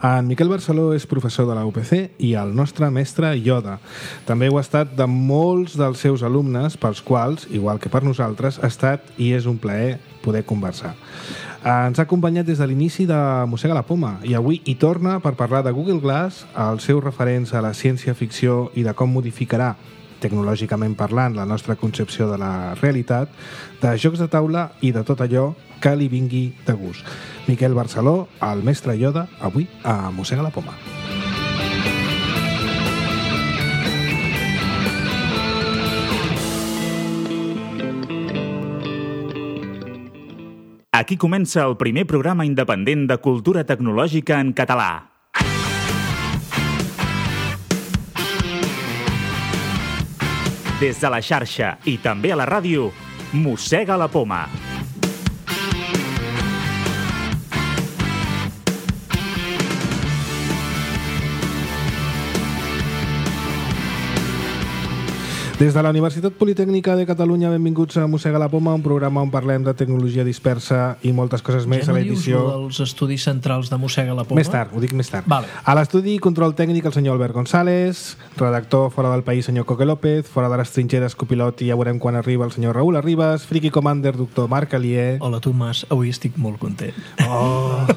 En Miquel Barceló és professor de la UPC i el nostre mestre Yoda. També ho ha estat de molts dels seus alumnes, pels quals, igual que per nosaltres, ha estat i és un plaer poder conversar. Ens ha acompanyat des de l'inici de Mossega la Poma i avui hi torna per parlar de Google Glass, els seus referents a la ciència-ficció i de com modificarà, tecnològicament parlant, la nostra concepció de la realitat, de jocs de taula i de tot allò que li vingui de gust. Miquel Barceló, el mestre Yoda, avui a Mossega la Poma. Aquí comença el primer programa independent de cultura tecnològica en català. Des de la xarxa i també a la ràdio, Mossega la Poma. Des de la Universitat Politècnica de Catalunya, benvinguts a Mossega la Poma, un programa on parlem de tecnologia dispersa i moltes coses més a l'edició. Ja no dius dels estudis centrals de Mossega la Poma? Més tard, ho dic més tard. Vale. A l'estudi control tècnic el senyor Albert González, redactor fora del país senyor Coque López, fora de les trinxeres copilot i ja veurem quan arriba el senyor Raül Arribas, Friki Commander, doctor Marc Alier. Hola Tomàs, avui estic molt content. Oh.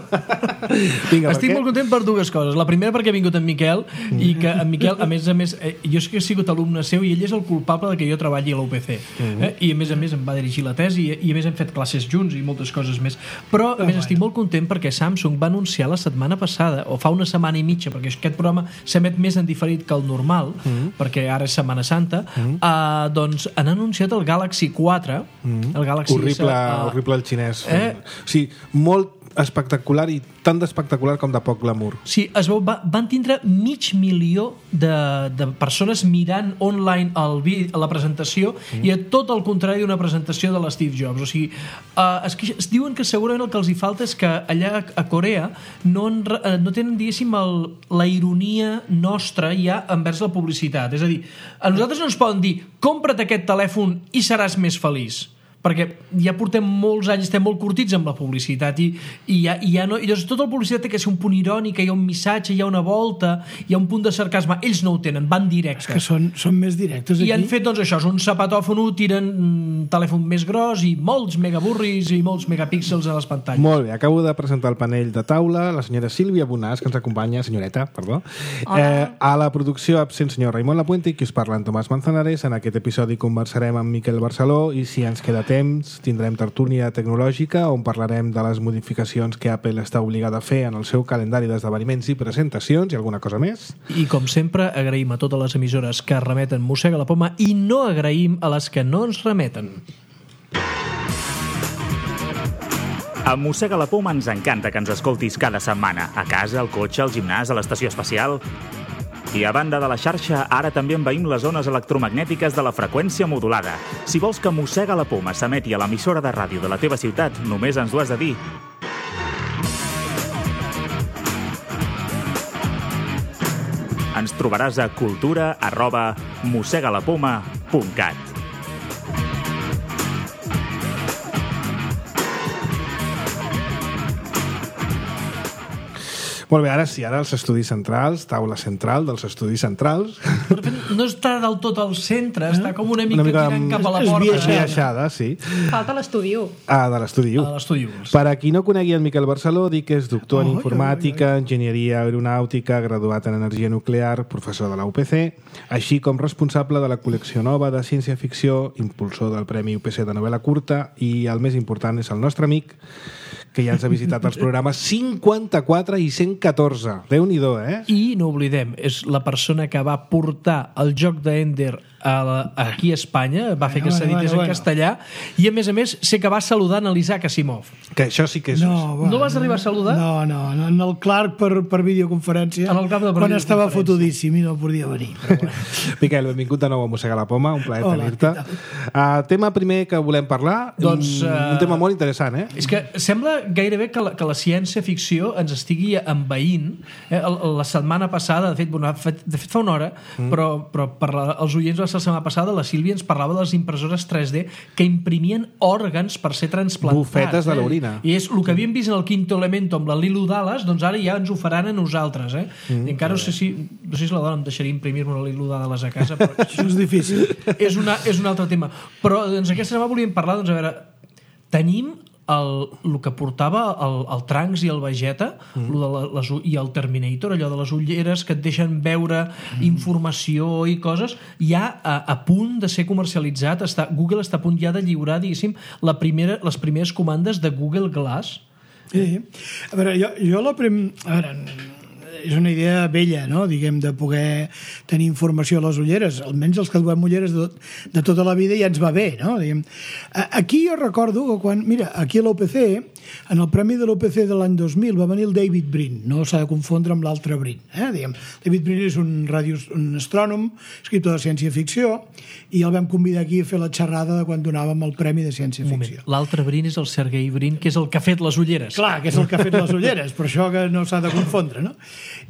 Vinga, estic molt content per dues coses. La primera perquè ha vingut en Miquel i que en Miquel, a més, jo sé que he sigut alumne seu i ell és el culpable de que jo treballi a la UPC. I a més em va dirigir la tesi i a més hem fet classes junts i moltes coses més. Però a més estic molt content perquè Samsung va anunciar la setmana passada, o fa una setmana i mitja, perquè aquest programa s'emet més en diferit que el normal, perquè ara és Setmana Santa, doncs han anunciat el Galaxy 4, el Galaxy... Horrible el xinès. O sigui, molt espectacular i tan d'espectacular com de poc glamour. Sí, es veu, van tindre 500.000 de persones mirant online la presentació i a tot el contrari d'una presentació de l'Steve Jobs. O sigui, es diuen que segurament el que els hi falta és que allà a Corea no tenen, diguéssim, la ironia nostra ja envers la publicitat. És a dir, a nosaltres no ens poden dir compra't aquest telèfon i seràs més feliç, perquè ja portem molts anys, estem molt curtits amb la publicitat i ja no, i llavors tota la publicitat té que ser un punt irònic, hi ha un missatge, hi ha una volta, hi ha un punt de sarcasme. Ells no ho tenen, van directes. És que són més directes aquí. I han fet, doncs, això, és un zapatòfon, tiren un telèfon més gros i molts megaburris i molts megapíxels a les pantalles. Molt bé, acabo de presentar el panell de taula, la senyora Sílvia Bonàs, que ens acompanya, senyoreta, perdó. A la producció absent senyor Raimon Lapuente i qui us parla en Tomàs Manzanares. En aquest episodi conversarem amb Miquel Barceló i si ens queda temps tindrem tertúlia tecnològica on parlarem de les modificacions que Apple està obligada a fer en el seu calendari d'esdeveniments i presentacions i alguna cosa més. I com sempre agraïm a totes les emissores que remeten Mossega la Poma i no agraïm a les que no ens remeten. A Mossega la Poma ens encanta que ens escoltis cada setmana, a casa, al cotxe, al gimnàs, a l'estació espacial. I a banda de la xarxa, ara també envaïm les zones electromagnètiques de la freqüència modulada. Si vols que Mossega la Poma s'emeti a l'emissora de ràdio de la teva ciutat, només ens ho has de dir. Ens trobaràs a cultura@mossegalapoma.cat. Molt bé, ara sí, ara els estudis centrals, taula central dels estudis centrals. No està del tot al centre, està com una mica tirant cap a la porta. Esbiaixada, sí. Falta l'estudi 1. De l'estudi 1. Per a qui no conegui el Miquel Barceló, dic que és doctor en informàtica, enginyeria aeronàutica, graduat en energia nuclear, professor de la UPC, així com responsable de la col·lecció nova de ciència-ficció, impulsor del Premi UPC de novel·la curta i el més important és el nostre amic, que ja ens ha visitat els programes 54 i 114. Déu-n'hi-do, eh? I no oblidem, és la persona que va portar el joc d'Ender aquí a Espanya, va fer que s'edités en castellà, i a més sé que va saludant a l'Isaac Asimov. Que això sí que és... No vas arribar a saludar? No, en el Clark per videoconferència, quan estava fotudíssim i no podia venir. Miquel, benvingut de nou a Mossega la Poma, un plaer tenir-te. Tema primer que volem parlar, un tema molt interessant, eh? És que sembla gairebé que la ciència-ficció ens estigui envaint. La setmana passada, de fet fa una hora, però per als oients va la setmana passada, la Sílvia ens parlava de les impressores 3D que imprimien òrgans per ser transplantats. Bufetes de l'orina. I és el que havíem vist en el Quinto Elemento amb la Lilo Dallas, doncs ara ja ens ho faran a nosaltres. I encara no sé si la dona em deixaria imprimir-me una Lilo Dallas a casa, però això és difícil. És un altre tema. Però doncs, aquesta setmana volíem parlar, doncs, a veure, tenim el que portava el Trunks i el Vegeta i el Terminator, allò de les ulleres que et deixen veure informació i coses, ja a punt de ser comercialitzat. Google està a punt ja de lliurar, diguéssim, les primeres comandes de Google Glass. Sí. A veure, és una idea vella, no? Diguem, de poder tenir informació a les ulleres. Almenys els que duem ulleres de tota la vida ja ens va bé, no? Diguem. Aquí jo recordo que quan... Mira, aquí a l'OPC, en el premi de l'OPC de l'any 2000 va venir el David Brin, no s'ha de confondre amb l'altre Brin. Diguem. David Brin és un astrònom, escriptor de ciència-ficció, i el vam convidar aquí a fer la xerrada de quan donàvem el premi de ciència-ficció. L'altre Brin és el Sergei Brin, que és el que ha fet les ulleres. Clar, que és el que ha fet les ulleres, per això que no s'ha de confondre, no?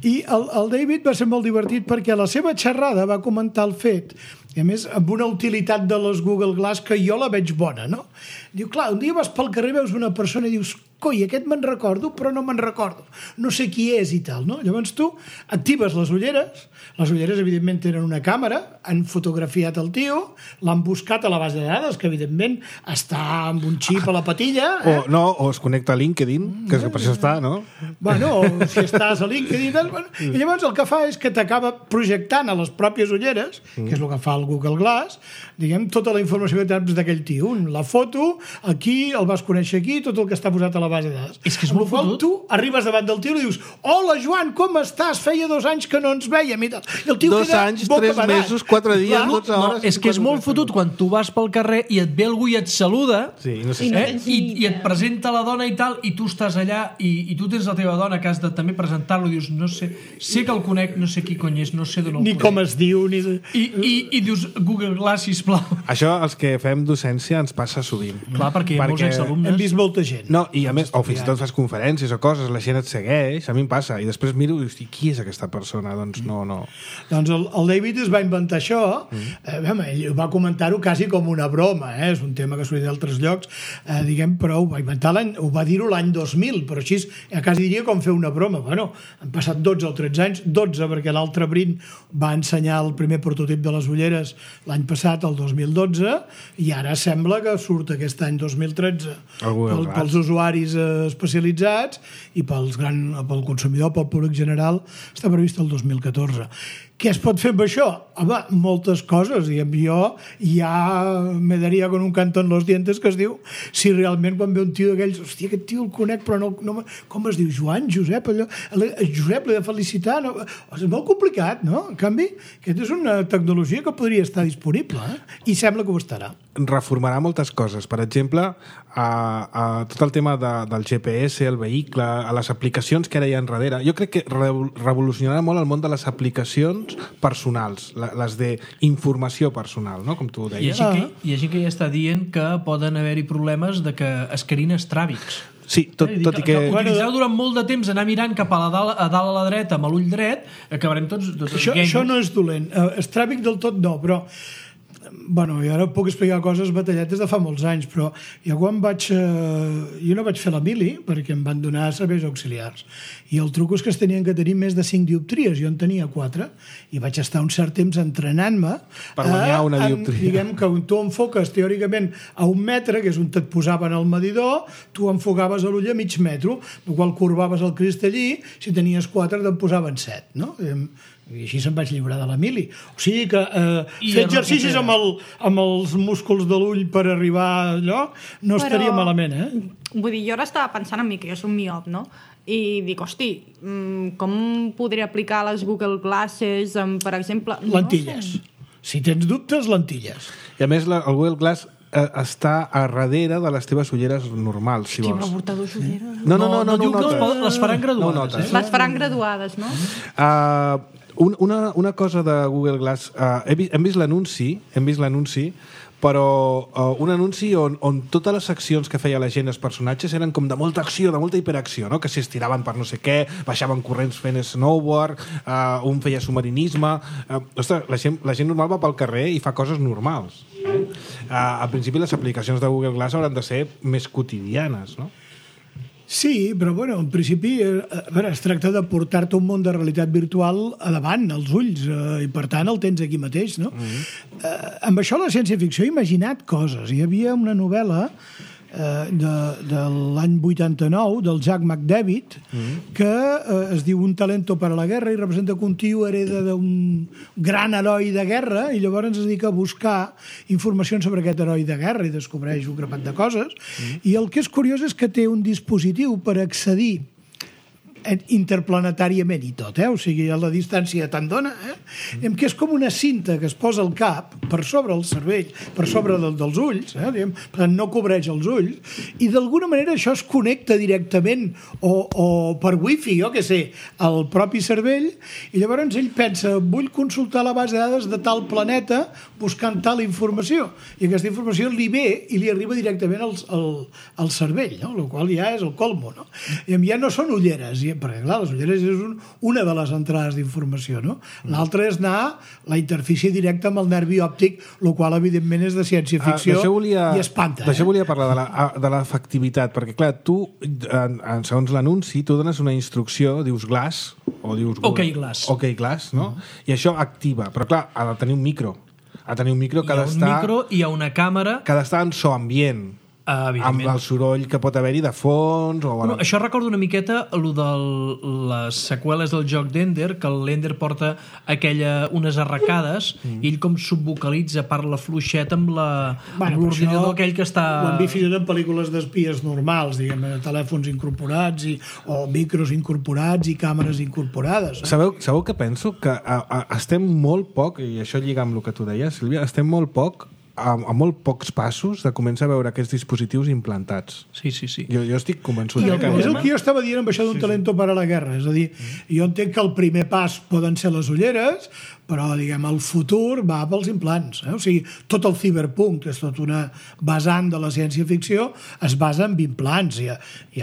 I el David va ser molt divertit perquè a la seva xerrada va comentar el fet, i a més amb una utilitat de les Google Glass que jo la veig bona, no? Diu, clar, un dia vas pel carrer, veus una persona i dius, coi, aquest me'n recordo, però no me'n recordo. No sé qui és i tal, no? Llavors tu actives les ulleres evidentment tenen una càmera, han fotografiat el tio, l'han buscat a la base de dades, que evidentment està amb un xip a la patilla. O es connecta a LinkedIn, que per això està, no? Bueno, si estàs a LinkedIn... I llavors el que fa és que t'acaba projectant a les pròpies ulleres, que és el que fa el Google Glass, diguem, tota la informació que tens d'aquell tio. La foto, aquí, el vas conèixer aquí, tot el que està posat a la base de dades. És que és molt fotut. Tu arribes davant del tio i dius, hola, Joan, com estàs? Feia 2 anys que no ens vèiem i tal. I el tio 2 anys, 3 mesos, 4 dies, 12 hores... És que és molt fotut quan tu vas pel carrer i et ve algú i et saluda, i et presenta la dona i tal, i tu estàs allà i tu tens la teva dona que has de també presentar-lo i dius, no sé, sé que el conec, no sé qui cony és, no sé d'on el conec. Ni com es diu, ni... I dius, Google Glass, sisplau. Això, els que fem docència, ens passa sovint. Clar, perquè hi ha molts exalumnes. Hem vist molta gent. No, i a més, o fins i tot fas conferències o coses, la gent et segueix, a mi em passa, i després miro i dius, qui és aquesta persona? Doncs no. Doncs el David es va inventar això, ell va comentar-ho quasi com una broma, és un tema que s'ho dit d'altres llocs, diguem, però ho va inventar ho va dir-ho l'any 2000, però així quasi diria com fer una broma. Bueno, han passat 12 o 13 anys, 12 perquè l'altre Brin va ensenyar el primer prototip de les ulleres l'any passat, el 2012, i ara sembla que surt aquest any 2013 pels usuaris especialitzats i pel consumidor, pel públic general, està previst el 2014. Què es pot fer amb això? Home, moltes coses. Jo ja me daria con un canto en los dientes, que es diu, si realment quan ve un tio d'aquells, hòstia, aquest tio el conec, però no com es diu? Joan, Josep, allò... Josep, l'he de felicitar. No? És molt complicat, no? En canvi, aquesta és una tecnologia que podria estar disponible, i sembla que ho estarà. Reformarà moltes coses. Per exemple, tot el tema del GPS, el vehicle, a les aplicacions que ara hi ha enrere. Jo crec que revolucionarà molt el món de les aplicacions personals, les d'informació personal, no? Com tu deies. Hi ha gent que ja està dient que poden haver-hi problemes de que es creïn estràbics. Sí, tot i que... Utilitzeu durant molt de temps anar mirant cap a dalt a la dreta amb l'ull dret, acabarem tots això no és dolent. Estràbic del tot no, però... Bueno, jo ara puc explicar coses batalletes de fa molts anys, però jo quan jo no vaig fer la mili perquè em van donar serveis auxiliars, i el truc és que es tenien que tenir més de 5 dioptries, jo en tenia 4, i vaig estar un cert temps entrenant-me per guanyar una dioptria. Diguem que tu enfoques teòricament a 1 metre, que és on et posaven el medidor, tu enfocaves a l'ull a mig metro, el qual curvaves el cristallí, si tenies 4 te'n posaven 7, no? I així se'm vaig lliurar de la mili. O sigui que fer exercicis amb els músculs de l'ull per arribar a allò no estaria malament, Vull dir, jo ara estava pensant en mi, que jo soc miop, no? I dic, hosti, com podré aplicar les Google Glasses, per exemple... Lentilles. Si tens dubtes, lentilles. I a més, el Google Glass està a darrere de les teves ulleres normals, si vols. Qui va portar 2 ulleres? No diu que les faran graduades. Les faran graduades, no? Una cosa de Google Glass, hem vist l'anunci, però un anunci on totes les accions que feia la gent, els personatges, eren com de molta acció, de molta hiperacció, no? Que s'estiraven per no sé què, baixaven corrents fent snowboard, un feia submarinisme... Ostres, la gent normal va pel carrer i fa coses normals. Al principi les aplicacions de Google Glass hauran de ser més quotidianes, no? Sí, però bueno, en principi es tracta de portar-te un món de realitat virtual a davant, als ulls, i per tant el tens aquí mateix, no? Amb això la ciència-ficció ha imaginat coses. Hi havia una novel·la de l'any 89 del Jack McDavid que es diu Un talento para la guerra i representa que un tio hereda d'un gran heroi de guerra i llavors es dedica a buscar informació sobre aquest heroi de guerra i descobreix un grapat de coses i el que és curiós és que té un dispositiu per accedir interplanetàriament i tot, o sigui, a la distància te'n dona, que és com una cinta que es posa al cap per sobre el cervell, per sobre dels ulls, diguem, per tant no cobreix els ulls, i d'alguna manera això es connecta directament o per wifi, jo què sé, al propi cervell, i llavors ell pensa, vull consultar la base de dades de tal planeta buscant tal informació, i aquesta informació li ve i li arriba directament al cervell, no? El qual ja és el colmo, no? I ja no són ulleres, perquè clar, les ulleres és una de les entrades d'informació, no? L'altra és anar la interfície directa amb el nervi òptic, el qual evidentment és de ciència-ficció i espanta. D'això volia parlar, de l'efectivitat, perquè clar, tu, segons l'anunci, tu dones una instrucció, dius Glass, o dius OK Glass. OK Glass, no? I això activa, però clar, ha de tenir un micro. Ha de tenir un micro que ha d'estar... Hi ha un micro i hi ha una càmera... Que ha d'estar en so ambient. Amb el soroll que pot haver-hi de fons o... Bueno, això recorda una miqueta el de les seqüeles del joc d'Ender, que l'Ender porta unes arracades i ell com subvocalitza, parla fluixet amb l'ordinador aquell que està... Ho hem vist fins en pel·lícules d'espies normals, diguem, telèfons incorporats o micros incorporats i càmeres incorporades. Sabeu que penso? Que estem molt poc, i això lliga amb el que tu deies, Sílvia, estem molt poc a molt pocs passos de començar a veure aquests dispositius implantats. Sí. Jo estic convençut. És el que jo estava dient amb això d'un talento para la guerra. És a dir, jo entenc que el primer pas poden ser les ulleres, però, diguem, el futur va pels implants. O sigui, tot el cyberpunk, que és tot una vessant de la ciència-ficció, es basa en implants. Hi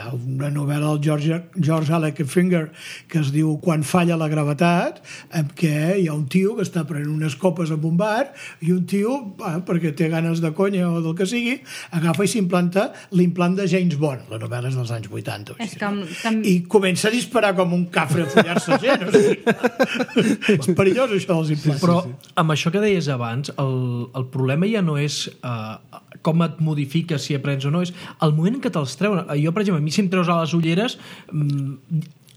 ha una novel·la del George Alexander que es diu Quan falla la gravetat, en què hi ha un tio que està prenent unes copes en un bar i un tio, perquè té ganes de conya o del que sigui, agafa i s'implanta l'implant de James Bond. La novel·la és dels anys 80. I comença a disparar com un cafre a follar-se gent. O sigui, és perillós, això. Però amb això que deies abans, el problema ja no és com et modifiques si aprens o no, és el moment en què te'ls treuen. Jo, per exemple, a mi si em treus a les ulleres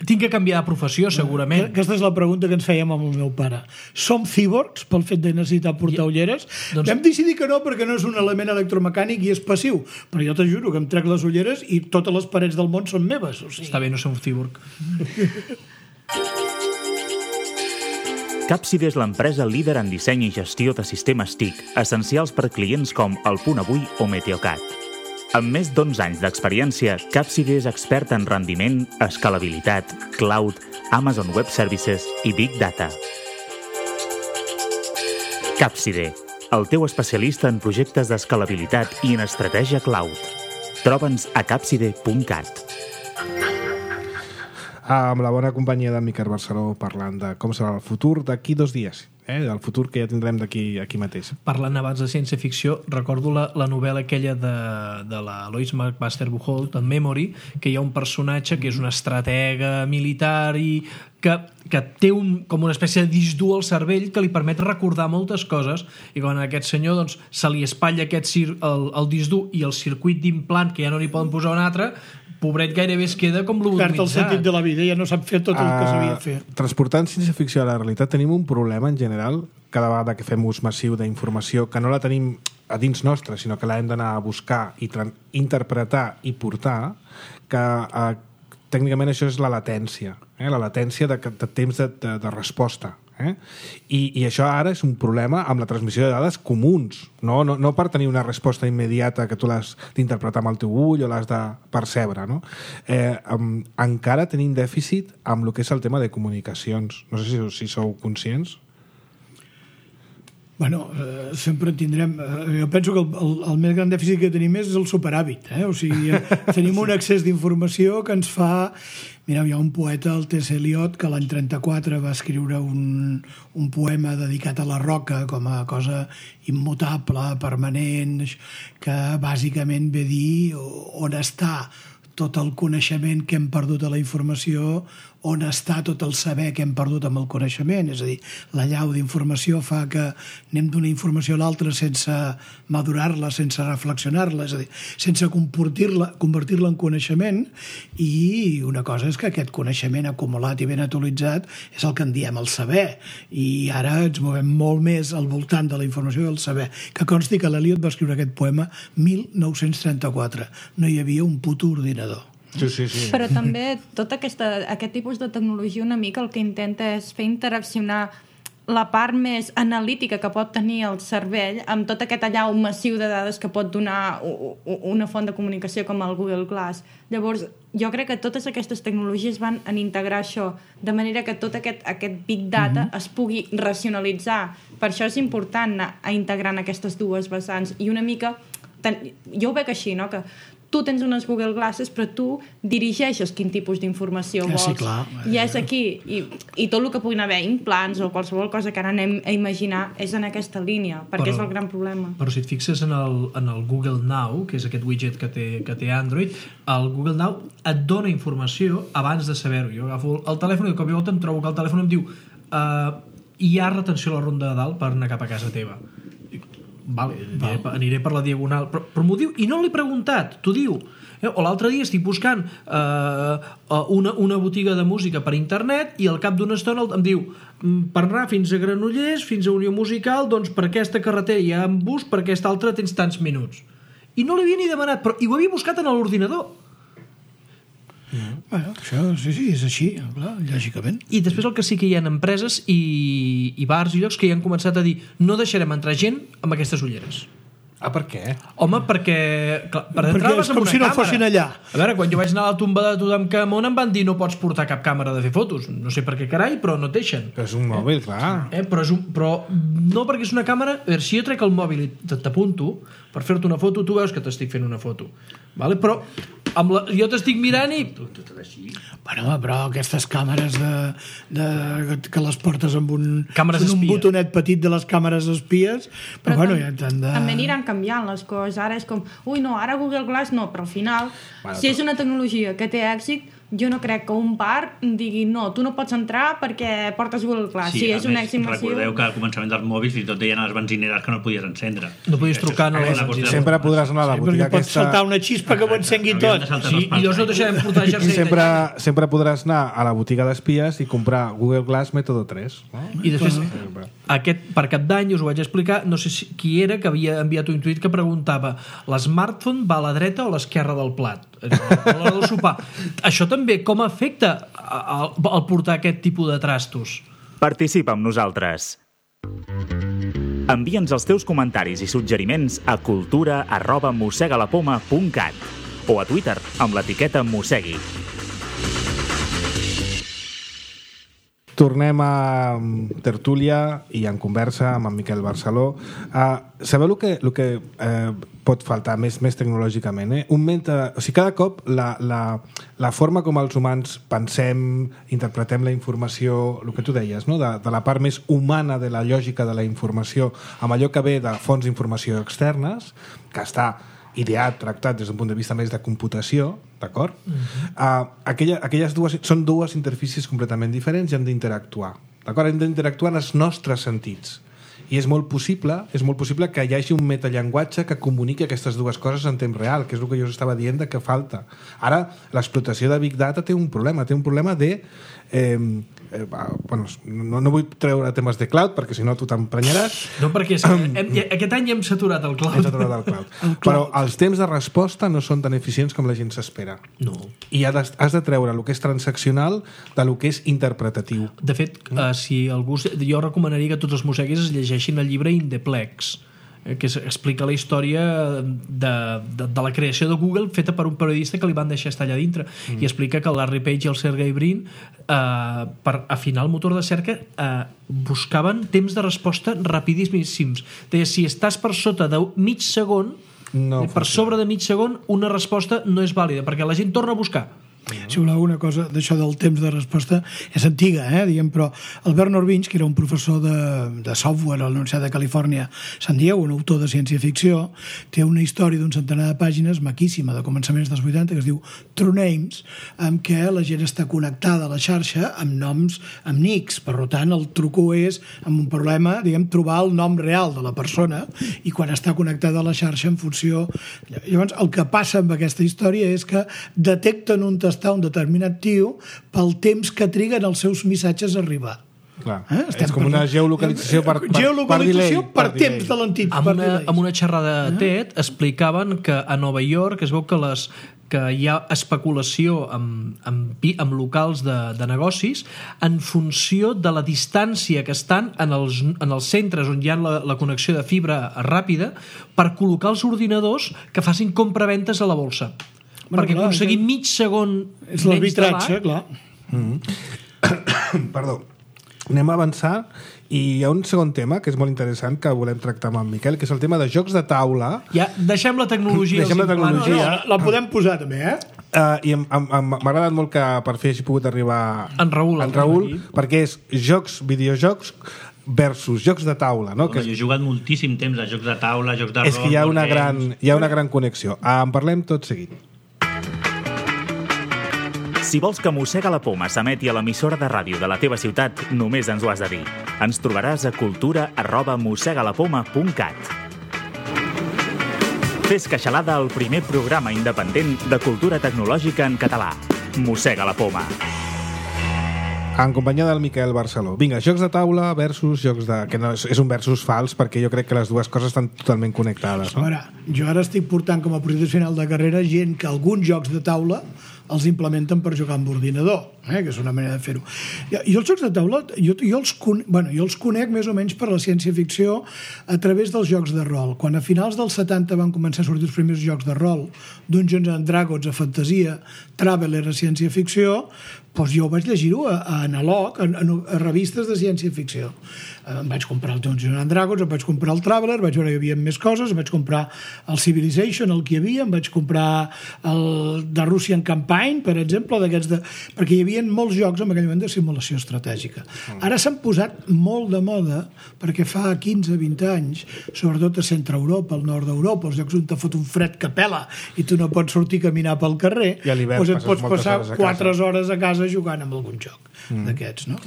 tinc que canviar de professió, segurament. Aquesta és la pregunta que ens fèiem amb el meu pare. Som cíborgs pel fet de necessitar portar ulleres? Vam decidir que no, perquè no és un element electromecànic i és passiu. Però jo t'ajuro que em trec les ulleres i totes les parets del món són meves. O sigui... Està bé, no ser un cíborg. Capside és l'empresa líder en disseny i gestió de sistemes TIC, essencials per clients com El Punt Avui o Meteocat. Amb més d'11 anys d'experiència, Capside és expert en rendiment, escalabilitat, cloud, Amazon Web Services i Big Data. Capside, el teu especialista en projectes d'escalabilitat i en estratègia cloud. Troba'ns a capside.cat. Amb la bona companyia d'en Miquel Barceló parlant de com serà el futur d'aquí 2 dies, del futur que ja tindrem d'aquí aquí mateix. Parlant abans de ciència-ficció, recordo la novel·la aquella de la Lois McMaster Buchholz, en Memory, que hi ha un personatge que és una estratega militar i que té com una espècie de disc dur al cervell que li permet recordar moltes coses, i quan a aquest senyor doncs, se li espatlla el disc dur i el circuit d'implant, que ja no li poden posar un altre, pobret gairebé es queda com lobotomitzat. Perd el sentit de la vida, ja no sap fer tot el que sabia fer. Transportant ciència-ficció a la realitat tenim un problema en general, cada vegada que fem ús massiu d'informació, que no la tenim a dins nostra, sinó que l'hem d'anar a buscar i interpretar i portar, que tècnicament això és la latència, la latència de temps de resposta. I això ara és un problema amb la transmissió de dades comuns, no per tenir una resposta immediata que tu l'has d'interpretar amb el teu ull o l'has de percebre, no? Encara tenim dèficit amb el que és el tema de comunicacions. No sé si sou conscients. Bueno, sempre tindrem... jo penso que el més gran dèficit que tenim és el superàvit. O sigui, tenim un accés d'informació que ens fa... Mireu, hi ha un poeta, el T.S. Eliot, que l'any 34 va escriure un poema dedicat a la roca com a cosa immutable, permanent, que bàsicament ve dir on està tot el coneixement que hem perdut a la informació, on està tot el saber que hem perdut amb el coneixement. És a dir, la llau d'informació fa que anem d'una informació a l'altra sense madurar-la, sense reflexionar-la, és a dir, sense convertir-la en coneixement, i una cosa és que aquest coneixement acumulat i ben actualitzat és el que en diem el saber, i ara ens movem molt més al voltant de la informació i el saber. Que consti que l'Eliot va escriure aquest poema 1934. No hi havia un puto ordinador. Sí. Però també tot aquest tipus de tecnologia una mica el que intenta és fer interaccionar la part més analítica que pot tenir el cervell amb tot aquest allau massiu de dades que pot donar una font de comunicació com el Google Glass. Llavors, jo crec que totes aquestes tecnologies van en integrar això, de manera que tot aquest big data es pugui racionalitzar. Per això és important anar a integrant aquestes dues vessants. I una mica, jo ho veig així, no?, que tu tens unes Google Glasses, però tu dirigeixes quin tipus d'informació vols. Sí, clar. I és aquí. I tot el que puguin haver, implants o qualsevol cosa que ara anem a imaginar, és en aquesta línia, perquè és el gran problema. Però si et fixes en el Google Now, que és aquest widget que té Android, el Google Now et dona informació abans de saber-ho. Jo agafo el telèfon i de cop i volta em trobo que el telèfon em diu hi ha retenció a la ronda de dalt per anar cap a casa teva. Vale, aniré per la diagonal, però m'ho diu i no l'he preguntat, t'ho diu. O l'altre dia estic buscant una botiga de música per internet i al cap d'una estona em diu per anar fins a Granollers, fins a Unió Musical, doncs per aquesta carretera hi ha un bus, per aquesta altra tens tants minuts. I no l'havia ni demanat, però i ho havia buscat en l'ordinador. Bueno, això sí, és així, clar, lògicament. I després el que sí que hi ha empreses i bars i llocs que hi han començat a dir no deixarem entrar gent amb aquestes ulleres. Per què? Home, perquè... Clar, perquè és com si no fossin allà. A veure, quan jo vaig anar a la tomba de Tutankamon em van dir no pots portar cap càmera de fer fotos. No sé per què carai, però no et deixen. Però és un mòbil, clar. Però no perquè és una càmera... A veure, si jo trec el mòbil i t'apunto per fer-te una foto, tu veus que t'estic fent una foto. Vale? Però jo t'estic mirant i... Bueno, però aquestes càmeres que les portes amb un botonet petit de les càmeres espies, però bueno, ja t'han de... També aniran canviant les coses. Ara és com, ara Google Glass no, però al final, si és una tecnologia que té èxit, jo no crec que un bar digui no, tu no pots entrar perquè portes Google Glass. Sí, és un èxit massiu. Recordeu que al començament dels mòbils i tot deien a les benzineres que no podies encendre. No podies trucar a les benzineres. Sempre podràs anar a la botiga aquesta... Pots saltar una xispa que ho encengui tot. Sí, i llavors no deixarem portar jersei. I sempre podràs anar a la botiga d'espies i comprar Google Glass Mètode 3. I després, per cap d'any, us ho vaig explicar, no sé qui era que havia enviat un tuit que preguntava l'smartphone va a la dreta o a l'esquerra del plat? A l'hora del sopar. Això també com afecta al portar aquest tipus de trastos? Participa amb nosaltres. Envia'ns els teus comentaris i suggeriments a cultura@mossegalapoma.cat o a Twitter amb l'etiqueta Mossegui. Tornem a tertúlia i en conversa amb en Miquel Barceló. Sabeu el que pot faltar més tecnològicament? O sigui, cada cop la forma com els humans pensem, interpretem la informació, el que tu deies, no? de la part més humana de la lògica de la informació, amb allò que ve de fonts d'informació externes, que està ideat, tractat des d'un punt de vista més de computació, d'acord? Aquelles són dues interfícies completament diferents i hem d'interactuar, d'acord? Hem d'interactuar en els nostres sentits. I és molt possible que hi hagi un metallenguatge que comuniqui aquestes dues coses en temps real, que és el que jo us estava dient que falta. Ara, l'explotació de Big Data té un problema de bueno, no vull treure temes de cloud perquè si no tu t'emprenyaràs. No, perquè aquest any hem saturat el cloud. Però els temps de resposta no són tan eficients com la gent s'espera. No. I has de treure el que és transaccional de lo que és interpretatiu. De fet, si algú... Jo recomanaria que tots els mosseguis es llegeixin el llibre In the Plex, que explica la història de la creació de Google feta per un periodista que li van deixar estar allà dintre i explica que el Larry Page i el Sergey Brin per afinar el motor de cerca buscaven temps de resposta rapidíssims. Deia, si estàs per sota de mig segon per sobre de mig segon una resposta no és vàlida perquè la gent torna a buscar. Si voleu una cosa d'això del temps de resposta és antiga, diguem, però el Bernard Winch, que era un professor de software a la Universitat de Califòrnia San Diego, un autor de ciència-ficció, té una història d'un centenar de pàgines maquíssima de començaments dels 80 que es diu True Names, amb què la gent està connectada a la xarxa amb noms, amb nics. Per tant, el truco és amb un problema, diguem, trobar el nom real de la persona i quan està connectada a la xarxa en funció... Llavors, el que passa amb aquesta història és que detecten un un determinat tio pel temps que triguen els seus missatges a arribar. Clar. És com una geolocalització per temps de l'antic. Amb una xerrada de TED explicaven que a Nova York es veu que hi ha especulació amb locals de negocis en funció de la distància que estan en els centres on hi ha la connexió de fibra ràpida per col·locar els ordinadors que facin compraventes a la borsa. Perquè aconseguir mig segon és l'arbitratge, clar. Perdó. Anem a avançar i hi ha un segon tema que és molt interessant que volem tractar amb en Miquel, que és el tema de jocs de taula. Ja, deixem la tecnologia. La podem posar també, i m'ha agradat molt que per fi hagi pogut arribar en Raül perquè és videojocs versus jocs de taula, no? Jo he jugat moltíssim temps a jocs de taula, jocs de rol... És que hi ha una gran connexió. En parlem tot seguit. Si vols que Mossega la Poma s'emeti a l'emissora de ràdio de la teva ciutat, només ens ho has de dir. Ens trobaràs a cultura@mossegalapoma.cat. Fes Queixalada, el primer programa independent de cultura tecnològica en català. Mossega la Poma. En companyia del Miquel Barceló. Vinga, jocs de taula versus jocs de... que no, és un versus fals perquè jo crec que les dues coses estan totalment connectades. No? Jo ara estic portant com a projecte final de carrera gent que alguns jocs de taula els implementen per jugar amb ordinador, que és una manera de fer-ho. I els jocs de taula, jo els conec més o menys per la ciència-ficció a través dels jocs de rol. Quan a finals dels 70 van començar a sortir els primers jocs de rol, Dungeons and Dragons a fantasia, Traveller a ciència-ficció, doncs jo vaig llegir-ho a analog, a revistes de ciència-ficció. Em vaig comprar el Dungeons and Dragons, em vaig comprar el Traveller, vaig veure que hi havia més coses, em vaig comprar el Civilization, el que hi havia, em vaig comprar el The Russian Campaign, per exemple, perquè hi havia molts jocs en aquell moment de simulació estratègica. Ara s'han posat molt de moda perquè fa 15-20 anys, sobretot a Centre Europa, al nord d'Europa, els llocs on te fot un fred que pela i tu no pots sortir a caminar pel carrer, doncs et pots passar 4 hores a casa jugant amb algun joc d'aquests, no?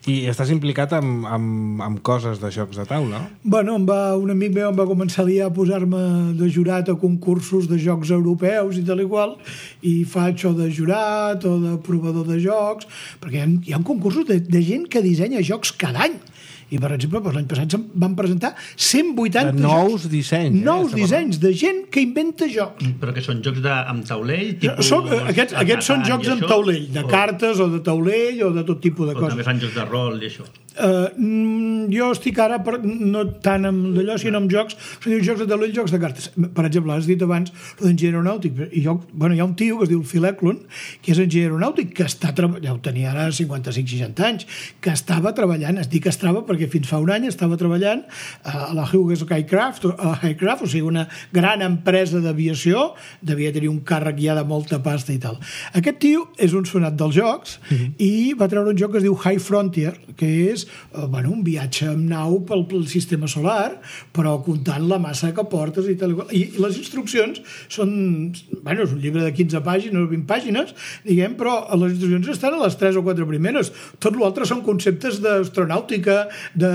I estàs implicat amb coses de jocs de taula? Bueno, un amic meu em va començar a posar-me de jurat a concursos de jocs europeus i tal i qual, i faig o de jurat o de provador de jocs, perquè hi ha concursos de gent que dissenya jocs cada any. I, per exemple, l'any passat van presentar 180 nous dissenys. Nous dissenys de gent que inventa jocs. Però que són jocs amb taulell? Aquests són jocs amb taulell, de cartes o de taulell o de tot tipus de coses. O també fan jocs de rol i això? Jo estic ara no tant amb d'allò, sinó amb jocs, jocs de taulell, jocs de cartes. Per exemple, has dit abans l'enginyer aeronàutic, i hi ha un tio que es diu Phil Eklund, que és enginyer aeronàutic, que ja ho tenia ara 55-60 anys, que estava treballant, es diu que estava perquè fins fa un any estava treballant a la Hughes Aircraft, o sigui, una gran empresa d'aviació, devia tenir un càrrec ja de molta pasta i tal. Aquest tio és un sonat dels jocs i va treure un joc que es diu High Frontier, que és un viatge amb nau pel sistema solar, però comptant la massa que portes i tal. I les instruccions són... és un llibre de 15 pàgines o 20 pàgines, diguem, però les instruccions estan a les 3 o 4 primeres. Tot l'altre són conceptes d'astronàutica, de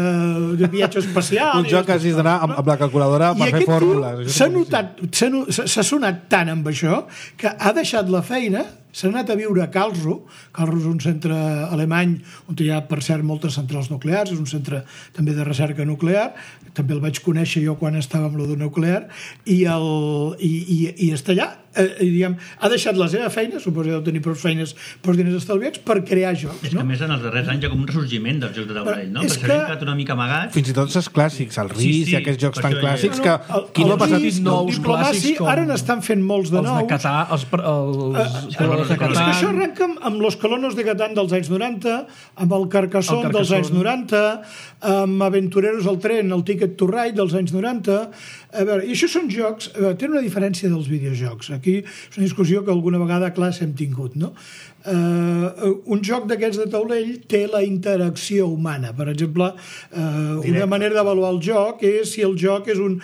viatge espacial... Un joc que hagis d'anar amb la calculadora per fer fórmules. S'ha sonat tant amb això que ha deixat la feina s'han anat a viure a Karlsruhe. Karlsruhe és un centre alemany on hi ha, per cert, moltes centrals nuclears, és un centre també de recerca nuclear, també el vaig conèixer jo quan estava amb lo nuclear, i està allà. Diguem, ha deixat la seva feina, suposo que deu tenir prou feines pels diners estalviats, per crear jocs. És que a més en els darrers anys hi ha com un ressorgiment dels jocs de taulell, no? És Perquè s'ha quedat una mica amagat. Fins i tot els clàssics, el RIS i aquests jocs tan clàssics que qui no ha passat nous diplomaci, clàssics ara n'estan fent molts de nous. Els de Catà, els colonos de És que Catà. això arrenca amb los colonos de Catán dels anys 90, amb el Carcassonne dels anys 90, amb Aventureros al tren, el Ticket to Ride dels anys 90. A veure, i això són jocs, tenen una diferència dels videojocs. Aquí és una discussió que alguna vegada a classe hem tingut, no? Un joc d'aquests de taulell té la interacció humana. Per exemple, una manera d'avaluar el joc és si el joc és un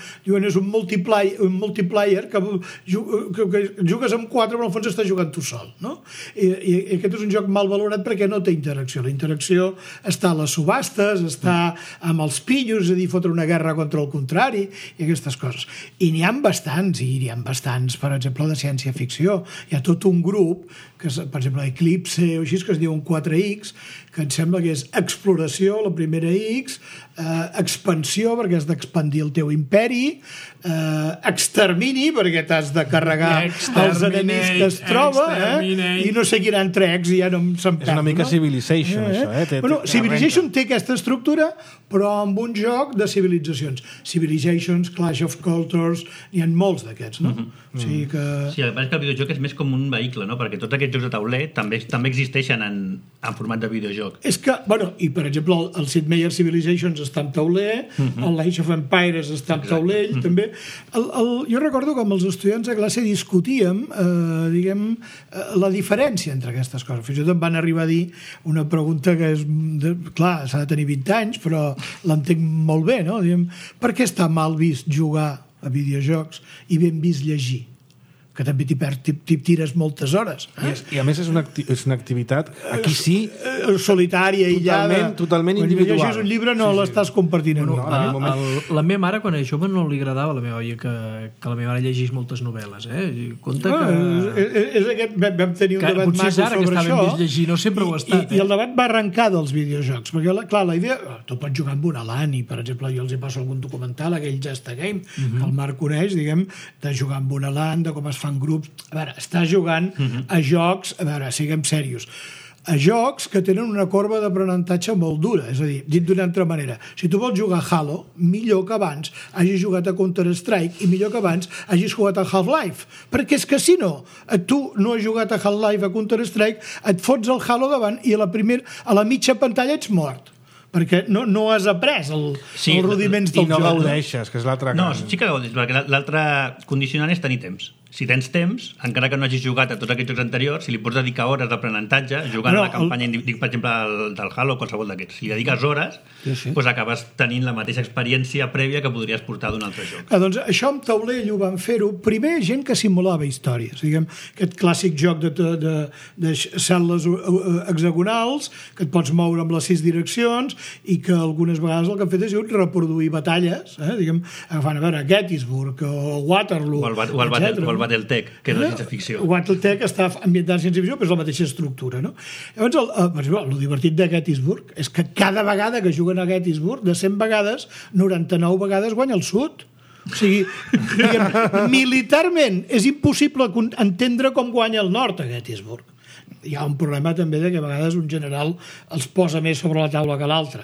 multiplayer que jugues amb 4 però al fons estàs jugant tu sol, no? I aquest és un joc mal valorat perquè no té interacció. La interacció està a les subhastes, està amb els pillos, és a dir, fotre una guerra contra el contrari i aquestes coses. I n'hi ha bastants, per exemple, de ciència-ficció. Hi ha tot un grup que, per exemple, Eclipse o així, que es diuen 4X, que em sembla que és exploració, la primera X, expansió, perquè has d'expandir el teu imperi, extermini, perquè t'has de carregar els enemics que es troba, i no sé quin altre X, i ja no se'n perd. És una mica Civilization, això. Bueno, Civilization té aquesta estructura, però amb un joc de civilitzacions. Civilizations, Clash of Cultures, n'hi ha molts d'aquests, no? O sigui que... Sí, el que passa és que el videojoc és més com un vehicle, no? Perquè tots aquests jocs de tauler també existeixen en format de videojoc. És que, bueno, i per exemple el Sid Meier Civilizations està en tauler, el Age of Empires està en taulell, també. Jo recordo que amb els estudiants de classe discutíem, la diferència entre aquestes coses. Fins i tot em van arribar a dir una pregunta que és, clar, s'ha de tenir 20 anys, però l'entenc molt bé, no? Diguem, per què està mal vist jugar a videojocs i ben vist llegir? Que també t'hi tires moltes hores. I a més és una activitat, aquí sí, solitària, aïllada. Totalment individual. Quan llegis un llibre no l'estàs compartint amb ningú. La meva mare, quan era jove, no li agradava a la meva oia que la meva mare llegís moltes novel·les. Compte que... Vam tenir un debat maco sobre això. Llegir, no sempre ho ha estat. I el debat va arrencar dels videojocs. Perquè, clar, la idea... Tu pots jugar amb una LAN i, per exemple, jo els hi passo algun documental, aquell Just a Game, que el Marc coneix, diguem, de jugar amb una LAN, de com es fan grups. A veure, estàs jugant a jocs, a veure, siguem serios, a jocs que tenen una corba d'aprenentatge molt dura, és a dir, dit d'una altra manera, si tu vols jugar a Halo, millor que abans hagis jugat a Counter-Strike i millor que abans hagis jugat a Half-Life, perquè és que si no, tu no has jugat a Half-Life, a Counter-Strike, et fots el Halo davant i a la mitja pantalla ets mort, perquè no has après els rudiments del joc. I no gaudeixes, que és l'altra cosa. No, sí que gaudeixes, perquè l'altre condicionant és tenir temps. Si tens temps, encara que no hagis jugat a tots aquests jocs anteriors, si li pots dedicar hores d'aprenentatge, jugant a la campanya, dic, per exemple, del Halo o qualsevol d'aquests, si li dediques hores, doncs acabes tenint la mateixa experiència prèvia que podries portar d'un altre joc. Doncs això amb taulell ho van fer-ho. Primer, gent que simulava històries. Diguem, aquest clàssic joc de cel·les hexagonals, que et pots moure amb les 6 direccions i que algunes vegades el que han fet és reproduir batalles, diguem, agafant a veure Gettysburg o Waterloo, o el Battletech, que és la ciència-ficció. Battletech està ambientat en ciència-ficció, però és la mateixa estructura, no? Llavors, per exemple, el divertit de Gettysburg és que cada vegada que juguen a Gettysburg, de 100 vegades, 99 vegades guanya el sud. O sigui, militarment és impossible entendre com guanya el nord a Gettysburg. Hi ha un problema també de que a vegades un general els posa més sobre la taula que l'altre,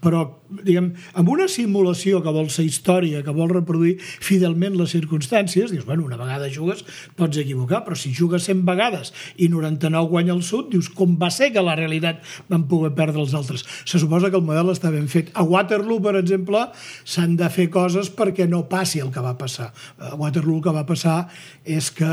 però amb una simulació que vol ser història, que vol reproduir fidelment les circumstàncies, dius, bueno, una vegada jugues pots equivocar, però si jugues 100 vegades i 99 guanya el sud, dius, com va ser que la realitat van poder perdre els altres? Se suposa que el model està ben fet. A Waterloo, per exemple, s'han de fer coses perquè no passi el que va passar. A Waterloo el que va passar és que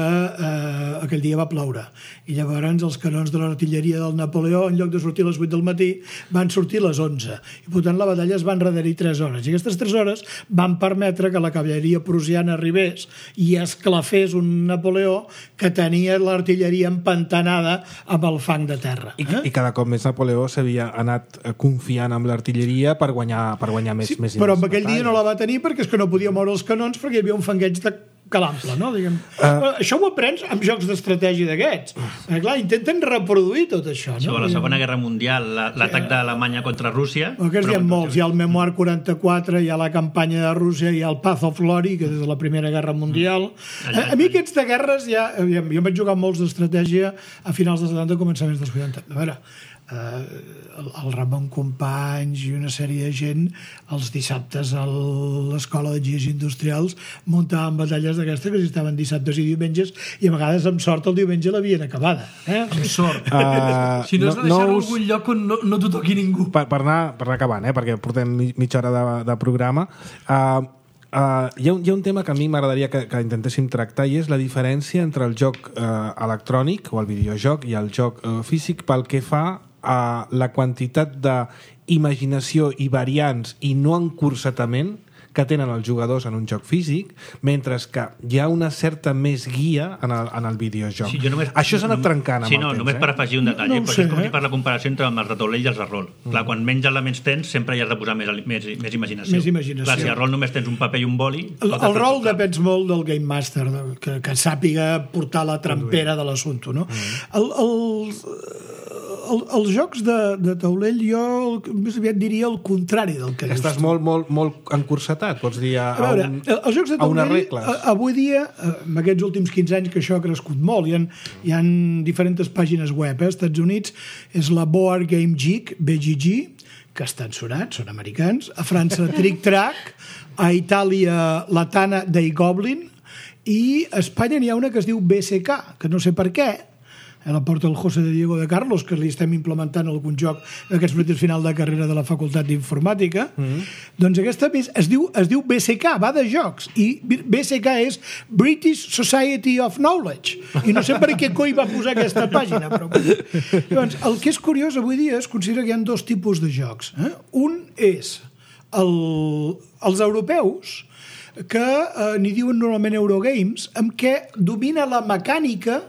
aquell dia va ploure i llavors els canons de l'artilleria del Napoleó, en lloc de sortir a les 8 del matí, van sortir a les 11. I per tant la batalla es va enrederir 3 hores. I aquestes 3 hores van permetre que la cavalleria prussiana arribés i esclafés un Napoleó que tenia l'artilleria empantanada amb el fang de terra. I cada cop més Napoleó s'havia anat confiant amb l'artilleria per guanyar més. Però amb aquell dia no la va tenir perquè és que no podia moure els canons perquè hi havia un fangueig calample, no? Això ho aprens amb jocs d'estratègia d'aquests. Clar, intenten reproduir tot això. No? A la Segona Guerra Mundial, l'atac d'Alemanya contra Rússia... Aquests hi ha molts. Hi ha el Memoir 44, hi ha la campanya de Rússia, hi ha el Path of Glory, que és de la Primera Guerra Mundial. A mi aquests de guerres ja... Jo vaig jugar molts d'estratègia a finals dels 70 i començaments dels 80. A veure, el Ramon Companys i una sèrie de gent els dissabtes a l'escola d'enginyers industrials muntaven batalles d'aquestes que estaven dissabtes i diumenges i a vegades amb sort el diumenge l'havien acabada. Amb sort. Si no és de deixar-lo en algun lloc on no t'ho toqui ningú. Per anar acabant, perquè portem mitja hora de programa, hi ha un tema que a mi m'agradaria que intentéssim tractar i és la diferència entre el joc electrònic o el videojoc i el joc físic pel que fa a la quantitat d'imaginació i variants i no encursetament que tenen els jugadors en un joc físic, mentre que hi ha una certa més guia en el videojoc. Sí, això s'ha anat trencant amb el temps. Només per afegir un detall. No sé, és com si per la comparació entre els de taulell i els de rol. Clar, quan menys elements tens, sempre hi has de posar més imaginació. Més imaginació. Clar, si al rol només tens un paper i un boli... El rol depèn molt del Game Master, que sàpiga portar la trampera de l'assumpte, no? Els jocs de taulell jo més aviat diria el contrari del que estàs molt encursetat, pots dir a els jocs de taulell avui dia, en aquests últims 15 anys que això ha crescut molt, hi ha diferents pàgines web, als Estats Units és la Board Game Geek, BGG, que estan sonats, són americans, a França Trick Track, a Itàlia la Tana dei Goblin i a Espanya n'hi ha una que es diu BSK, que no sé per què, la porta el José de Diego de Carlos, que li estem implementant algun joc d'aquests projectes final de carrera de la Facultat d'Informàtica. Doncs aquesta es diu BSK, va de jocs, i BSK és British Society of Knowledge, i no sé per què coi va posar aquesta pàgina, però... Llavors, el que és curiós avui dia es considera que hi ha dos tipus de jocs. Un és els europeus, que n'hi diuen normalment Eurogames, amb què domina la mecànica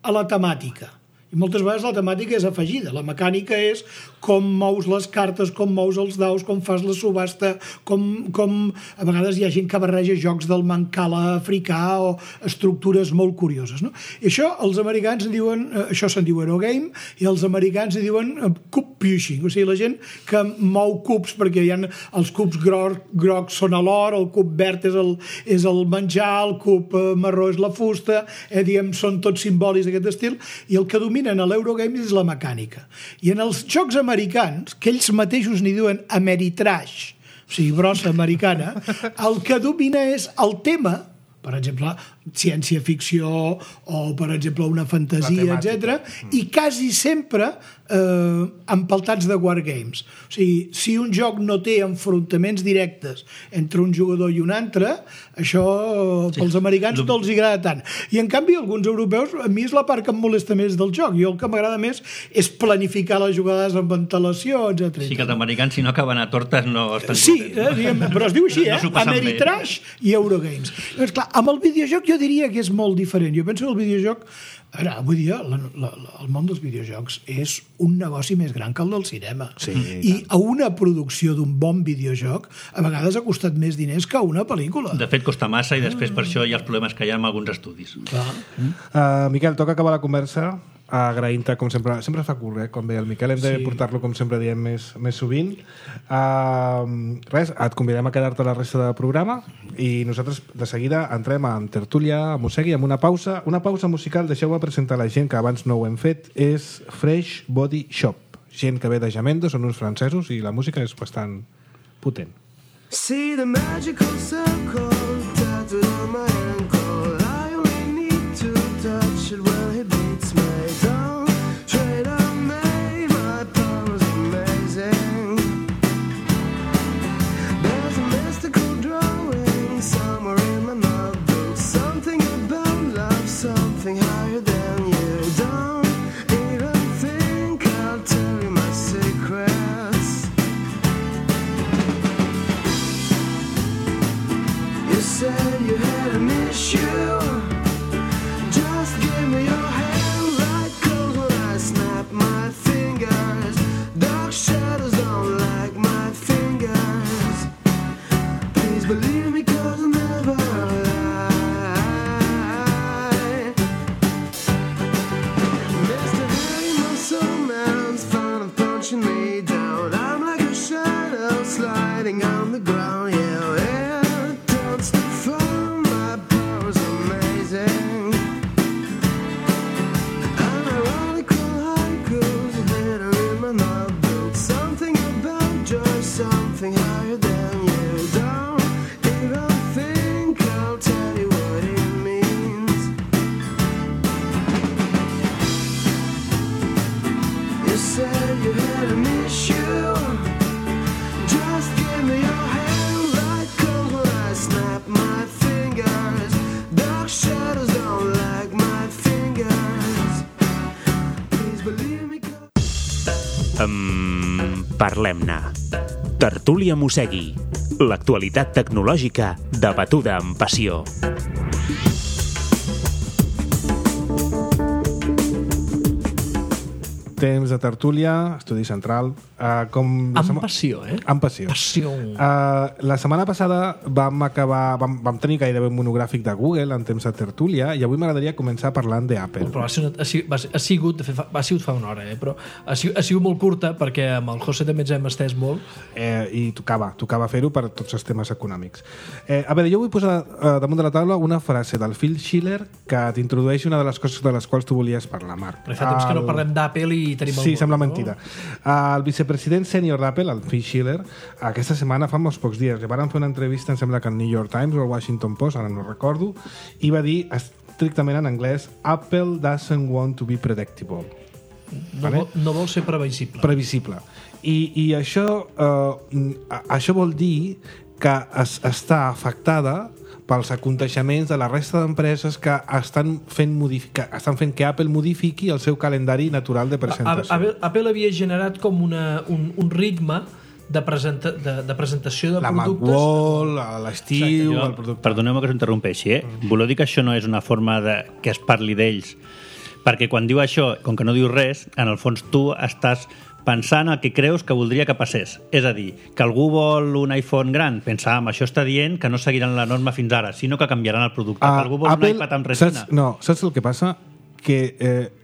a la temàtica. I moltes vegades la temàtica és afegida. La mecànica és com mous les cartes, com mous els daus, com fas la subhasta, com a vegades hi ha gent que barreja jocs del mancala africà o estructures molt curioses. No? I això els americans en diuen, això se'n diu Eurogame, i els americans en diuen cube pushing, o sigui, la gent que mou cubs, perquè hi ha els cubs grocs són a l'or, el cub verd és el menjar, el cub marró és la fusta, diguem, són tots simbòlics d'aquest estil, i el que dominen a l'Eurogame és la mecànica. I en els jocs americans, que ells mateixos n'hi diuen Ameritrash, o sigui, brossa americana, el que domina és el tema, per exemple, ciència-ficció o, per exemple, una fantasia, etc. I quasi sempre empaltats de wargames. O sigui, si un joc no té enfrontaments directes entre un jugador i un altre, això pels americans no els agrada tant. I, en canvi, alguns europeus, a mi és la part que em molesta més del joc. Jo el que m'agrada més és planificar les jugades amb antelació, etc. Sí, que els americans, si no acaben a tortes, no estan... Sí, però es diu així, Ameritrash i Eurogames. Llavors, clar, amb el videojoc jo diria que és molt diferent. Jo penso que el videojoc... Ara, avui dia, el món dels videojocs és un negoci més gran que el del cinema. Sí, i a una producció d'un bon videojoc a vegades ha costat més diners que una pel·lícula. De fet, costa massa i després per això hi ha els problemes que hi ha amb alguns estudis. Miquel, toca acabar la conversa agraint-te, com sempre es fa curt, quan ve el Miquel, hem de portar-lo, com sempre diem, més sovint. Res, et convidem a quedar-te la resta del programa i nosaltres de seguida entrem en tertúlia, a Mossegui, amb una pausa musical. Deixeu-me presentar la gent, que abans no ho hem fet. És Fresh Body Shop, gent que ve de Jamendo, són uns francesos i la música és bastant potent. See the magical circle tattooed on my ankle. I only need to touch it when he beats me. Don't trade on me, my power's amazing. There's a mystical drawing somewhere in my notebook. Something about love, something higher than you. Don't even think I'll tell you my secrets. You said you had an issue. Just give me your hand, right cold when I snap my fingers. Dark shadows don't like my fingers. Please believe me, 'cause I never lie. Parlem-ne. Tertúlia Mossegui. L'actualitat tecnològica debatuda amb passió. Temps de tertúlia, estudi central. Amb passió, eh? Amb passió. Passió. La setmana passada vam tenir gairebé un monogràfic de Google en temps de tertúlia i avui m'agradaria començar parlant d'Apple. Però ha sigut fa una hora, però ha sigut molt curta perquè amb el José també ens hem estès molt. I tocava fer-ho per tots els temes econòmics. A veure, jo vull posar damunt de la taula una frase del Phil Schiller que t'introdueix una de les coses de les quals tu volies parlar, Marc. Però fa temps que no parlem d'Apple i tenim el Sí, món, sembla no? mentida. El vicepresident sènior d'Apple, el Phil Schiller, aquesta setmana, fa molts pocs dies, van fer una entrevista, em sembla que al New York Times o al Washington Post, ara no recordo, i va dir estrictament en anglès Apple doesn't want to be predictable. No vol ser Previsible. I això vol dir que està afectada pels aconteixements de la resta d'empreses que estan fent que Apple modifiqui el seu calendari natural de presentació. Apple havia generat com un ritme de presentació de la productes. Macworld, l'estiu, el producte. Perdoneu-me que us interrompeixi, Voleu dir que això no és una forma que es parli d'ells? Perquè quan diu això, com que no diu res, en el fons tu estàs pensant el que creus que voldria que passés. És a dir, que algú vol un iPhone gran, pensàvem, això està dient que no seguiran la norma fins ara, sinó que canviaran el producte. Que algú vol un iPad amb resina. Saps el que passa? Que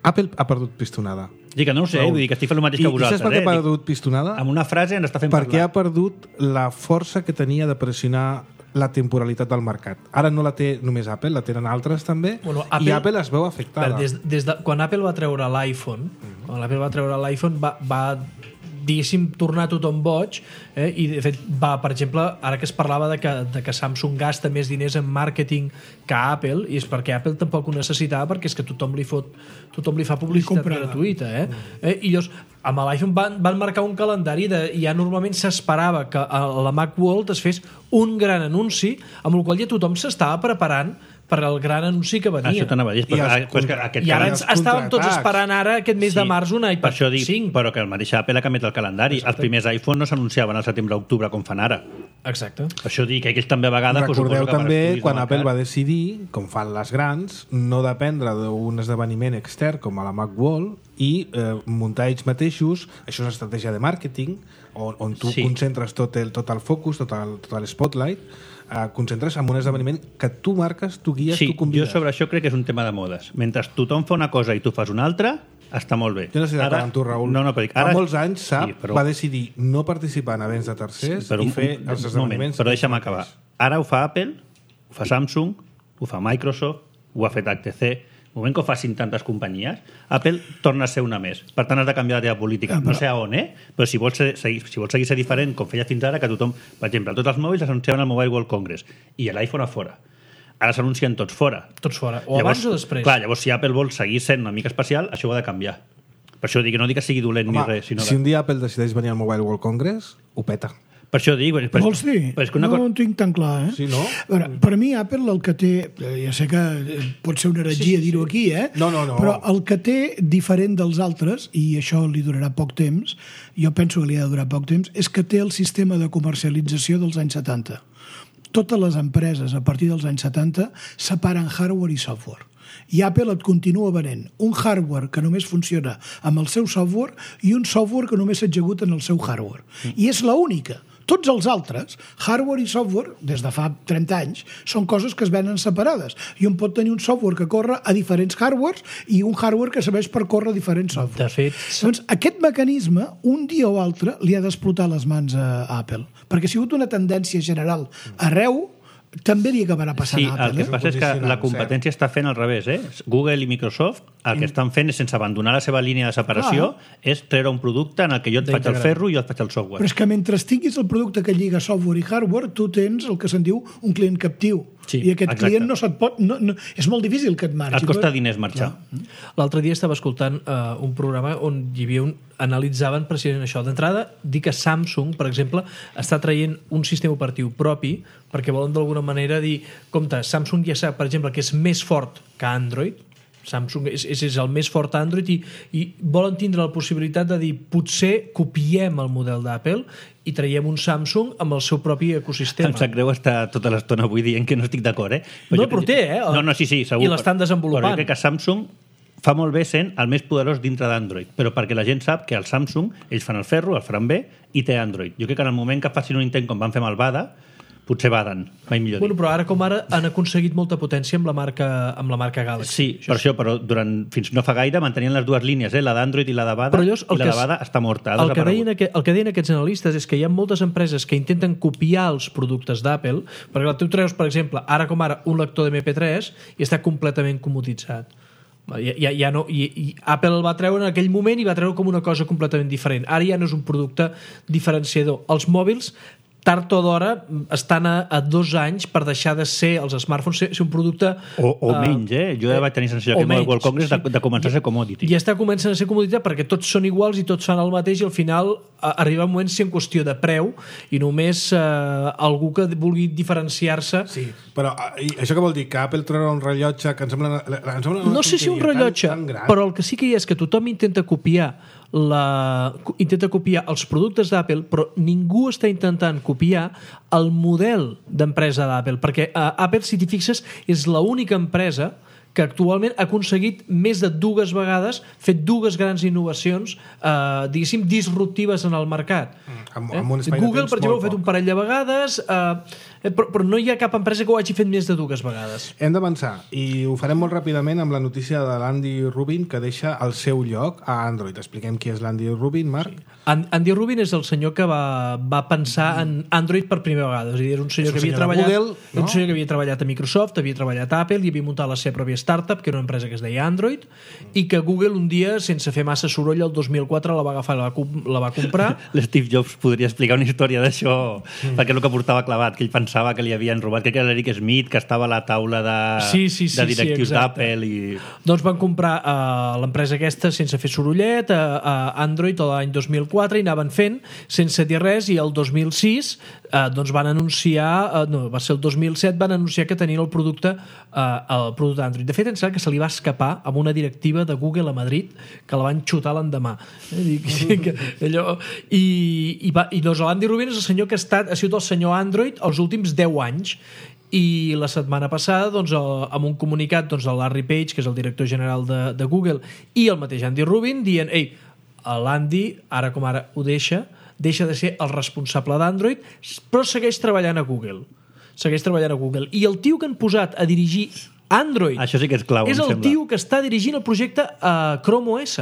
Apple ha perdut pistonada. Dic que no ho sé, vull dir que estic fent el mateix que vosaltres. I saps per què ha perdut pistonada? Amb una frase ens està fent Perquè parlar. ha perdut la força que tenia de pressionar la temporalitat del mercat. Ara no la té només Apple, la tenen altres també, i Apple es veu afectada. Quan Apple va treure l'iPhone, va diguéssim, tornar tothom boig, i de fet per exemple, ara que es parlava de que Samsung gasta més diners en màrqueting que Apple, i és perquè Apple tampoc ho necessitava, perquè és que tothom li fa publicitat gratuïta, i llavors amb l'iPhone van marcar un calendari ja normalment s'esperava que a la Macworld es fes un gran anunci, amb el qual ja tothom s'estava preparant per al gran anunci que venia. Això t'anava a dir. I ara estàvem tots esperant ara aquest mes de març un iPad 5. Però que el mateix Apple ha canviat el calendari. Els primers iPhone no s'anunciaven al setembre-octubre com fan ara. Exacte. Això dir que ells també a vegades... Recordeu també quan Apple va decidir, com fan les grans, no dependre d'un esdeveniment extern com a la Macworld i muntar ells mateixos. Això és una estratègia de màrqueting on tu concentres tot el focus, tot el spotlight, concentres en un esdeveniment que tu marques, tu guies, tu convides. Jo sobre això crec que és un tema de modes. Mentre tothom fa una cosa i tu fas una altra, està molt bé. Jo no sé d'acord amb tu, Raül. No, però dic, fa molts anys, va decidir no participar en events de tercers i fer els esdeveniments. Però deixa'm acabar. Ara ho fa Apple, ho fa Samsung, ho fa Microsoft, ho ha fet HTC. Al moment que ho facin tantes companyies, Apple torna a ser una més. Per tant, has de canviar la teva política. No sé a on, però si vols seguir ser diferent, com feia fins ara, que tothom, per exemple, tots els mòbils s'anunciaven al Mobile World Congress i l'iPhone a fora. Ara s'anuncien tots fora. Tots fora. O abans o després. Clar, llavors, si Apple vol seguir sent una mica especial, això ho ha de canviar. Per això dic que no dic que sigui dolent ni res. Si un dia Apple decideix venir al Mobile World Congress, ho peta. Per això dic... Vols dir? No ho tinc tan clar, Sí, no? Per mi Apple el que té... Ja sé que pot ser una heretgia dir-ho aquí, No. Però el que té diferent dels altres, i això li durarà poc temps, jo penso que li ha de durar poc temps, és que té el sistema de comercialització dels anys 70. Totes les empreses, a partir dels anys 70, separen hardware i software. I Apple et continua venent un hardware que només funciona amb el seu software i un software que només s'executa en el seu hardware. I és l'única. Tots els altres, hardware i software, des de fa 30 anys, són coses que es venen separades. I un pot tenir un software que corre a diferents hardwares i un hardware que serveix per córrer a diferents softwares. De fet... Doncs aquest mecanisme, un dia o altre, li ha d'explotar les mans a Apple. Perquè ha sigut una tendència general arreu, també li acabarà passant a Apple. El que passa és que la competència està fent al revés. Google i Microsoft el que estan fent és, sense abandonar la seva línia de separació, és treure un producte en el que jo et faig el ferro i jo et faig el software. Però és que mentre tinguis el producte que lliga software i hardware, tu tens el que se'n diu un client captiu. I aquest client no se't pot... és molt difícil que et marxi. Et costa diners marxar. L'altre dia estava escoltant un programa on hi havia analitzaven precisament això. D'entrada, dir que Samsung, per exemple, està traient un sistema operatiu propi perquè volen d'alguna manera dir, compte, Samsung ja sap, per exemple, que és més fort que Android, Samsung és el més fort Android i volen tindre la possibilitat de dir potser copiem el model d'Apple i traiem un Samsung amb el seu propi ecosistema. Em sap greu estar tota l'estona avui dient que no estic d'acord, No, però té, No, sí, segur. I l'estan desenvolupant. Però jo crec que Samsung fa molt bé sent el més poderós dintre d'Android, però perquè la gent sap que el Samsung, ells fan el ferro, el faran bé, i té Android. Jo crec que en el moment que facin un intent com van fer amb el Bada, potser baden, mai millor dir. Bueno, però ara com ara han aconseguit molta potència amb la marca Galaxy. Sí, per això, però fins no fa gaire mantenien les dues línies, la d'Android i la de Bada, i la de Bada està morta. El que deien aquests analistes és que hi ha moltes empreses que intenten copiar els productes d'Apple, perquè tu treus, per exemple, ara com ara, un lector de MP3 i està completament comoditzat. Ja no, i Apple el va treure en aquell moment i va treure com una cosa completament diferent. Ara ja no és un producte diferenciador. Els mòbils tard o d'hora estan a 2 anys per deixar de ser els smartphones ser un producte... O menys, Jo ja vaig tenir sensació que el World Congress de començar a ser commodity. I està començant a ser commodity perquè tots són iguals i tots fan el mateix i al final arriba un moment si en qüestió de preu i només algú que vulgui diferenciar-se... Sí, però això què vol dir? Que Apple treurà un rellotge que em sembla no sé si un rellotge, però el que sí que hi és que tothom intenta copiar els productes d'Apple, però ningú està intentant copiar el model d'empresa d'Apple, perquè Apple, si t'hi fixes, és l'única empresa que actualment ha aconseguit més de 2 vegades fer 2 grans innovacions diguéssim disruptives en el mercat. Google, per exemple, ha fet un parell de vegades, però no hi ha cap empresa que ho hagi fet més de 2 vegades. Hem d'avançar, i ho farem molt ràpidament amb la notícia de l'Andy Rubin, que deixa el seu lloc a Android. Expliquem qui és l'Andy Rubin, Marc. Sí. Andy Rubin és el senyor que va pensar en Android per primera vegada. És a dir, és un senyor que havia treballat Google, no? Un senyor que havia treballat a Microsoft, havia treballat a Apple i havia muntat la seva pròpia startup, que era una empresa que es deia Android, i que Google un dia, sense fer massa soroll, el 2004 la va agafar i la va comprar. L'Steve Jobs podria explicar una història d'això, perquè és el que portava clavat, que ell pensava que li havien robat, crec que era l'Eric Smith, que estava a la taula de directius d'Apple. Doncs van comprar l'empresa aquesta sense fer sorollet, a Android l'any 2004, i anaven fent sense dir res, i el 2006 doncs van anunciar, va ser el 2007, van anunciar que tenien el producte Android. De fet, em sembla que se li va escapar amb una directiva de Google a Madrid que la van xutar l'endemà. I doncs l'Andy Rubin és el senyor que ha sigut el senyor Android els últims 10 anys. I la setmana passada, doncs, amb un comunicat, doncs, el Larry Page, que és el director general de Google, i el mateix Andy Rubin, dient, l'Andy, ara com ara ho deixa de ser el responsable d'Android, però segueix treballant a Google. I el tio que han posat a dirigir Android, això sí que és clau, és el tio que està dirigint el projecte Chrome OS.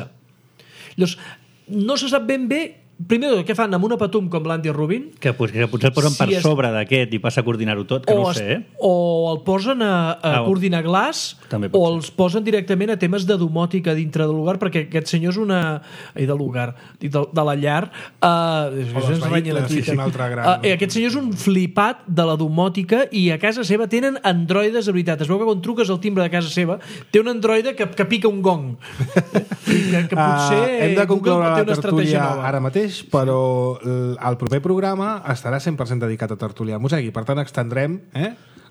Llavors, no se sap ben bé primer, què fan amb una patum com l'Andy Rubin? Que potser el posen per sobre d'aquest i passa a coordinar-ho tot, que no ho sé. O el posen a coordinar glaç, o els posen directament a temes de domòtica dintre del lugar, perquè aquest senyor és de la llar. Aquest senyor és un flipat de la domòtica i a casa seva tenen androides, de veritat. Es veu que quan truques al timbre de casa seva té un androide que pica un gong. Que potser hem de concloure la tertúlia ara mateix, però el proper programa estarà 100% dedicat a tertúlia música i per tant extendrem,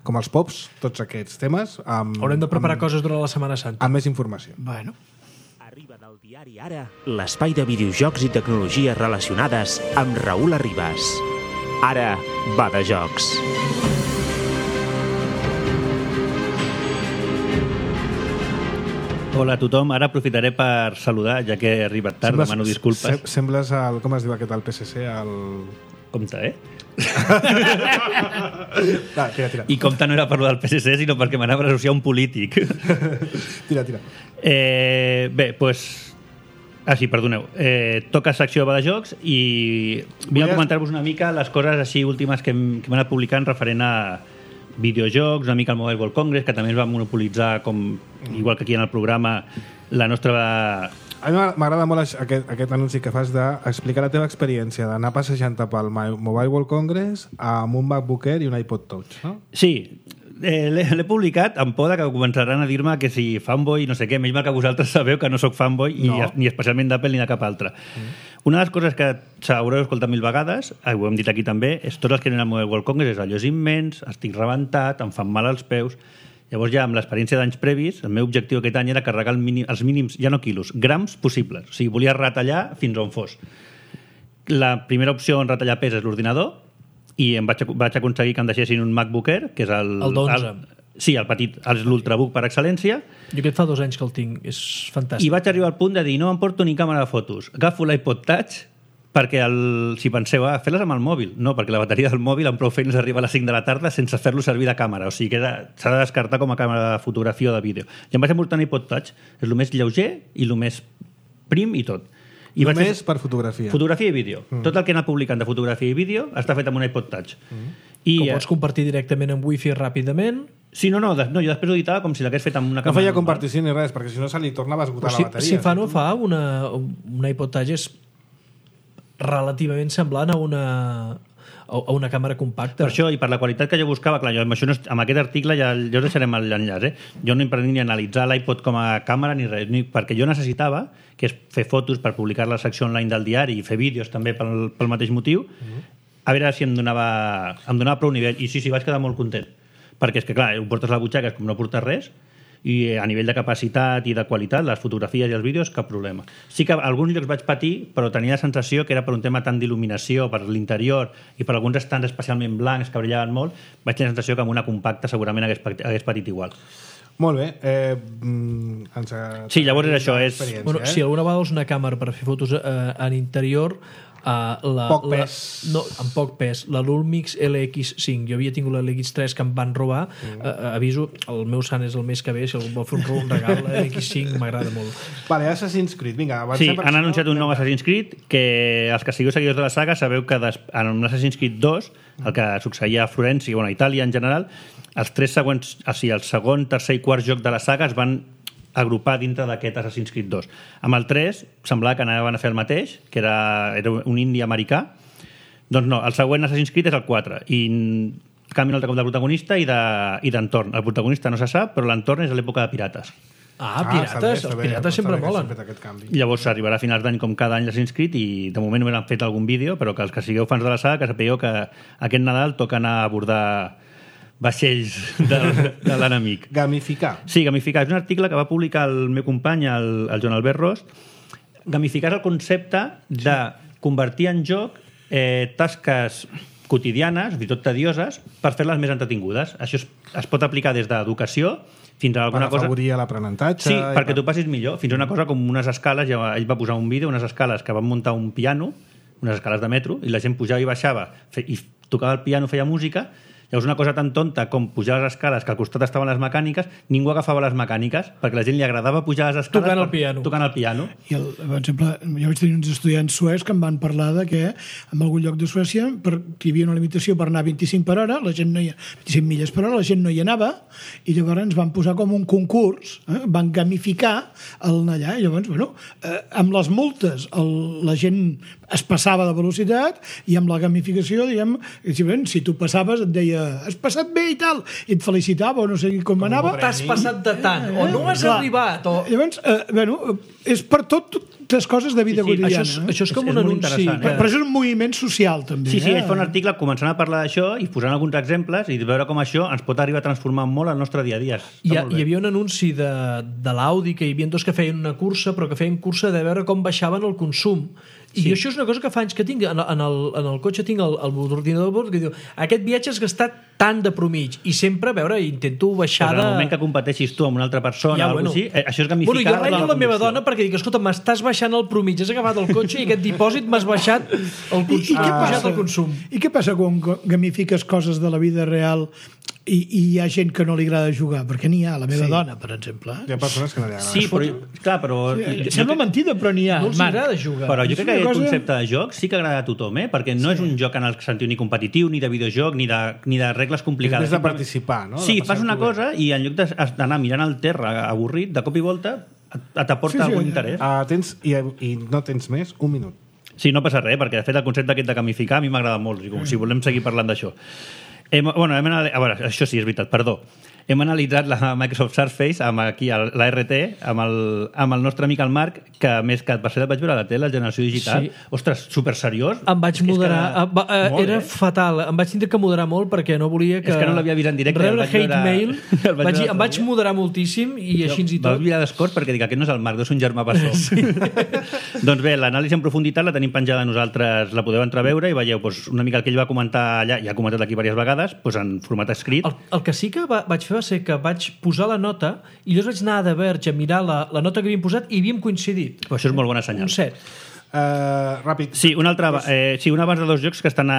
com els pops, tots aquests temes. Haurem de preparar coses durant la Setmana Santa. Amb més informació. Bueno. Arriba del diari Ara, l'espai de videojocs i tecnologies relacionades amb Raül Arribas. Ara va de jocs. Hola a tothom, ara aprofitaré per saludar, ja que he arribat tard, demano disculpes. Sembles com es diu aquest, el PSC, Compte, Tira. I compte no era per del PSC, sinó perquè m'anava a associar un polític. Tira. Bé, doncs... sí, perdoneu. Toca secció de jocs i vinc a comentar-vos una mica les coses així últimes que hem anat publicant referent a videojocs, una mica al Mobile World Congress, que també ens va monopolitzar, igual que aquí en el programa, la nostra... A mi m'agrada molt aquest anunci que fas d'explicar la teva experiència d'anar passejant pel Mobile World Congress amb un MacBook Air i un iPod Touch, no? Sí, l'he publicat amb por que començaran a dir-me que si fanboy, no sé què, menys mal que vosaltres sabeu que no sóc fanboy, ni especialment d'Apple ni de cap altre. Una de les coses que s'haureu escoltat 1000 vegades, ho hem dit aquí també, és tots els que anem al Mobile World Congress, allò és immens, estic rebentat, em fan mal als peus, Llavors ja amb l'experiència d'anys previs, el meu objectiu aquest any era carregar els mínims, ja no quilos, grams possibles. O sigui, volia retallar fins on fos. La primera opció en retallar pes és l'ordinador i em vaig aconseguir que em deixessin un MacBook Air, que és el 12. Sí, el petit, l'Ultrabook per excel·lència. Jo aquest fa 2 anys que el tinc, és fantàstic. I vaig arribar al punt de dir, no em porto ni càmera de fotos. Agafo l'iPod Touch perquè si penseu, fer-les amb el mòbil. No, perquè la bateria del mòbil amb prou feines arriba a les 5 de la tarda sense fer-lo servir de càmera. O sigui que s'ha de descartar com a càmera de fotografia o de vídeo. I em vaig emportar un iPod Touch. És el més lleuger i el més prim i tot. I només per fotografia. Fotografia i vídeo. Tot el que he anat publicant de fotografia i vídeo està fet amb un iPod Touch. I pots compartir directament amb Wi-Fi ràpidament. Sí, no, jo després ho editava com si l'hagués fet amb una càmera. No feia compartició ni res, perquè si no se li tornava a esgotar la bateria. Si fa no fa, un iPod Touch és relativament semblant a una càmera compacta. Per això, i per la qualitat que jo buscava, clar, jo amb aquest article ja us deixarem l'enllaç, Jo no em pretenia ni analitzar l'iPod com a càmera ni res, perquè jo necessitava, que és fer fotos per publicar la secció online del diari i fer vídeos també pel mateix motiu, a veure si em donava prou nivell. I sí, vaig quedar molt content. Perquè és que, clar, ho portes a la butxaca, és com no portes res, i a nivell de capacitat i de qualitat, les fotografies i els vídeos, cap problema. Sí que a alguns llocs vaig patir, però tenia la sensació que era per un tema tant d'il·luminació, per l'interior i per alguns estants especialment blancs que brillaven molt, vaig tenir la sensació que amb una compacta segurament hagués patit igual. Molt bé. Sí, llavors era això. Bueno, si alguna vegada és una càmera per fer fotos en interior, poc pes. No, amb poc pes. La Lumix LX5. Jo havia tingut la LX3 que em van robar. Aviso, el meu sant és el mes que ve. Si algú vol fer un regal, la LX5 m'agrada molt. Vale, Assassin's Creed. Vinga, sí, han anunciat un nou Assassin's Creed que els que sigueu seguidors de la saga sabeu que en l'Assassin's Creed 2, el que succeïa a Florència, a Itàlia en general, els 3 següents, o sigui, el segon, tercer i quart joc de la saga es van agrupar dintre d'aquest Assassin's Creed 2. Amb el 3 semblava que anaven a fer el mateix, que era un indi americà. Doncs no, el següent Assassin's Creed és el 4 i canvien el cop de protagonista i d'entorn. El protagonista no se sap, però l'entorn és a l'època de pirates. Pirates, els pirates sempre molen. Llavors arribarà a finals d'any com cada any l'Assassin's Creed i de moment només han fet algun vídeo, però que els que sigueu fans de la saga que sapigueu que aquest Nadal toca anar a abordar vaixells de l'enemic. Gamificar. Sí, gamificar. És un article que va publicar el meu company, el Joan Albert Rost. Gamificar és el concepte de convertir en joc tasques quotidianes, fins i tot tedioses, per fer-les més entretingudes. Això es pot aplicar des d'educació fins a alguna cosa... Per afavorir l'aprenentatge... Sí, perquè t'ho passis millor. Fins a una cosa com unes escales, ell va posar un vídeo, unes escales que van muntar un piano, unes escales de metro, i la gent pujava i baixava, i tocava el piano, feia música. Llavors una cosa tan tonta com pujar les escales, que al costat estaven les mecàniques, ningú agafava les mecàniques, perquè a la gent li agradava pujar les escales tocant el piano. I, per exemple, jo vaig tenir uns estudiants suecs que em van parlar de que en algun lloc de Suècia hi havia una limitació per anar a 25 per hora, 25 milles per hora, la gent no hi anava, i llavors ens van posar com un concurs, van gamificar el anar allà, i llavors, amb les multes la gent es passava de velocitat, i amb la gamificació, diguem, si tu passaves et deia has passat bé i tal, i et felicitava o no sé com anava. T'has passat de tant, o no has arribat. Llavors, és per totes coses de vida quotidiana. Això és com un anunci. Però això és un moviment social, també. Sí, ell fa un article començant a parlar d'això i posant alguns exemples i veure com això ens pot arribar a transformar molt el nostre dia a dia. Hi havia un anunci de l'Audi que hi havia dos que feien una cursa, però que feien cursa de veure com baixaven el consum. I això és una cosa que fa anys que tinc. En el cotxe tinc l'ordinador que diu aquest viatge has gastat tant de promig, i sempre, a veure, intento baixar de... En el moment que competeixis tu amb una altra persona o alguna cosa així, això és gamificar... Jo renyo la meva dona perquè dic, escolta, m'estàs baixant el promig, has agafat el cotxe i aquest dipòsit m'has baixat el consum. I què passa quan gamifiques coses de la vida real i hi ha gent que no li agrada jugar? Perquè n'hi ha, la meva dona, per exemple. Hi ha persones que no li agrada. Sí, però... Sembla mentida, però n'hi ha. No els agrada jugar. Però jo crec que aquest concepte de joc sí que agrada a tothom, perquè no és un joc en el sentit ni competitiu, ni de videojoc, ni de regles complicades. És de participar, no? Sí, fas una cosa i en lloc d'anar mirant al terra avorrit, de cop i volta t'aporta algun interès. I no tens més, un minut. Sí, no passa res, perquè de fet el concepte aquest de gamificar a mi m'agrada molt, si volem seguir parlant d'això. A veure, això sí, és veritat, perdó. hem analitzat la Microsoft Surface amb aquí la RT, amb el nostre amic el Marc, que a més que per cert vaig veure a la tele, la generació digital. Sí. Ostres, super seriós. Em vaig moderar. Era fatal. Em vaig tindre que moderar molt perquè no volia que... És que no l'havia vist en directe. Rebre hate mail. Em vaig moderar moltíssim i així i tot. Vaig mirar d'escort perquè dic, aquest no és el Marc, deu ser un germà bessó. Sí. Doncs bé, l'anàlisi en profunditat la tenim penjada nosaltres, la podeu entrar a veure i veieu una mica el que ell va comentar allà, ja ha comentat aquí diverses vegades, en format escrit. El que sí que vaig fer va ser que vaig posar la nota i llavors vaig anar a The Verge a mirar la nota que havíem posat i havíem coincidit. Però això és molt bona senyal. Un 7. Ràpid. Doncs Sí, un abans de dos jocs que estan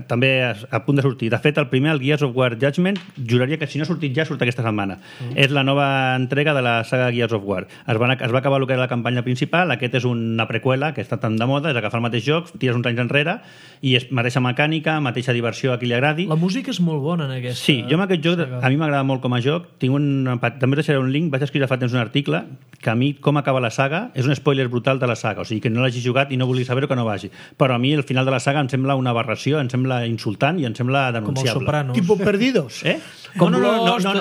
també a punt de sortir. De fet, el primer, el Gears of War Judgment, juraria que si no ha sortit ja, surt aquesta setmana. És la nova entrega de la saga Gears of War. Es va acabar el que era la campanya principal, aquest és una preqüela que està tan de moda, és agafar el mateix joc, tires uns anys enrere i és mateixa mecànica, mateixa diversió a qui li agradi. La música és molt bona en aquesta. Sí, jo amb aquest joc, a mi m'agrada molt com a joc. També us deixaré un link, vaig escriure fa temps un article que a mi com acaba la saga és un spoiler brutal de la saga, o sigui que no l'hagi jugat i no vulgui saber que no vagi. Però a mi el final de la saga em sembla una aberració, em sembla insultant i em sembla denunciable. Com els Sopranos. Tipo Perdidos. Com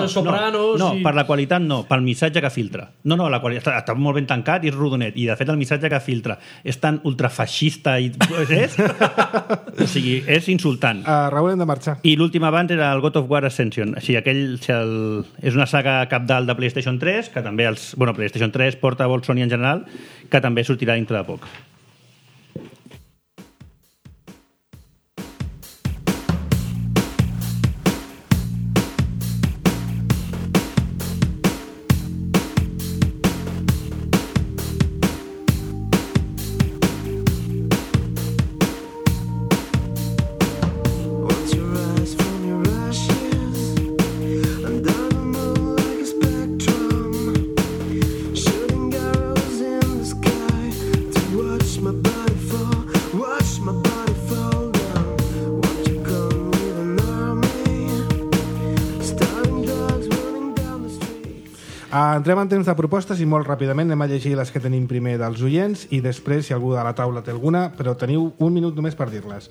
Sopranos. No, per la qualitat no, pel missatge que filtra. No, la qualitat està molt ben tancat i és rodonet. I de fet el missatge que filtra és tan ultrafeixista i... O sigui, és insultant. Raül, hem de marxar. I l'últim abans era el God of War Ascension. Així, és una saga capdalt de PlayStation 3, que també PlayStation 3, Portable, Sony en general, que també sortirà dintre de poc. Once you rise from your ashes, under the moon like a spectrum, shooting arrows in the sky to watch my body fall down. Won't you come with an army, starting dogs running down the street? Entrem en temps de propostes i molt ràpidament anem a llegir les que tenim primer dels oients i després, si algú de la taula té alguna, però teniu un minut només per dir-les.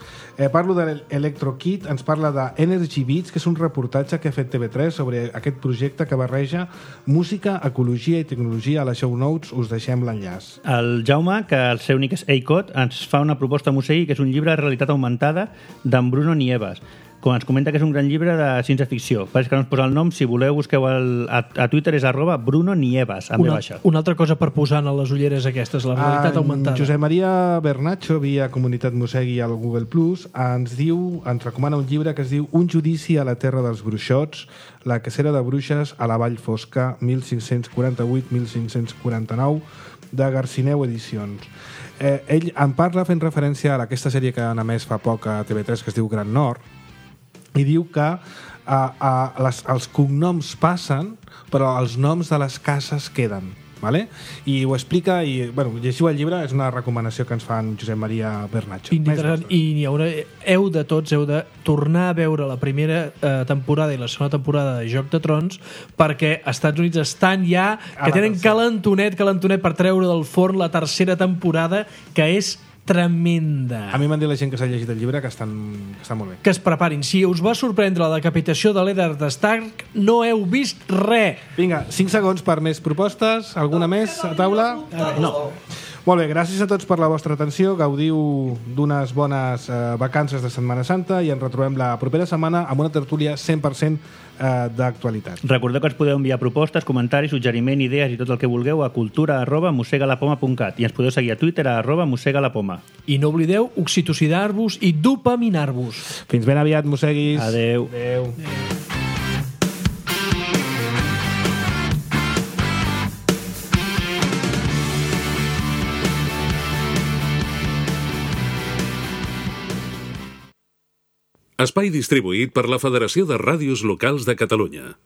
Parlo de l'Electrokit, ens parla de Energy Beats, que és un reportatge que ha fet TV3 sobre aquest projecte que barreja música, ecologia i tecnologia. A les show notes us deixem l'enllaç. El Jaume, que el seu únic és ACOT, ens fa una proposta a Musegui, que és un llibre de realitat augmentada d'en Bruno Nieves. Com ens comenta que és un gran llibre de ciència-ficció. Pareix que no ens posa el nom, si voleu busqueu a Twitter és @BrunoNieves, amb baixa. Una altra cosa per posar en les ulleres aquestes, la realitat augmentada. Josep Maria Bernacho, via Comunitat Musegui al Google Plus, ens recomana un llibre que es diu Un judici a la terra dels bruixots, la cacera de bruixes a la Vall Fosca, 1548-1549, de Garcineu Edicions. Ell en parla fent referència a aquesta sèrie que han emès fa poc a TV3 que es diu Gran Nord, i diu que els cognoms passen, però els noms de les cases queden. Vale? I ho explica i, llegiu el llibre, és una recomanació que ens fa en Josep Maria Bernacho. I heu de tornar a veure la primera temporada i la segona temporada de Joc de Trons, perquè als Estats Units estan ja que tenen calentonet per treure del forn la tercera temporada, que és tremenda. A mi m'han dit la gent que s'ha llegit el llibre que està molt bé. Que es preparin. Si us va sorprendre la decapitació de l'Eddard Stark, no heu vist res. Vinga, 5 segons per més propostes. Alguna més a taula? No. Molt bé, gràcies a tots per la vostra atenció. Gaudiu d'unes bones vacances de Setmana Santa i ens retrobem la propera setmana amb una tertúlia 100% d'actualitat. Recordeu que ens podeu enviar propostes, comentaris, suggeriment, idees i tot el que vulgueu a cultura@mosegalapoma.cat i ens podeu seguir a Twitter @mosegalapoma. I no oblideu oxitocidar-vos i dopaminar-vos. Fins ben aviat, mosseguis. Adeu. Adeu. Espai distribuït per la Federació de Ràdios Locals de Catalunya.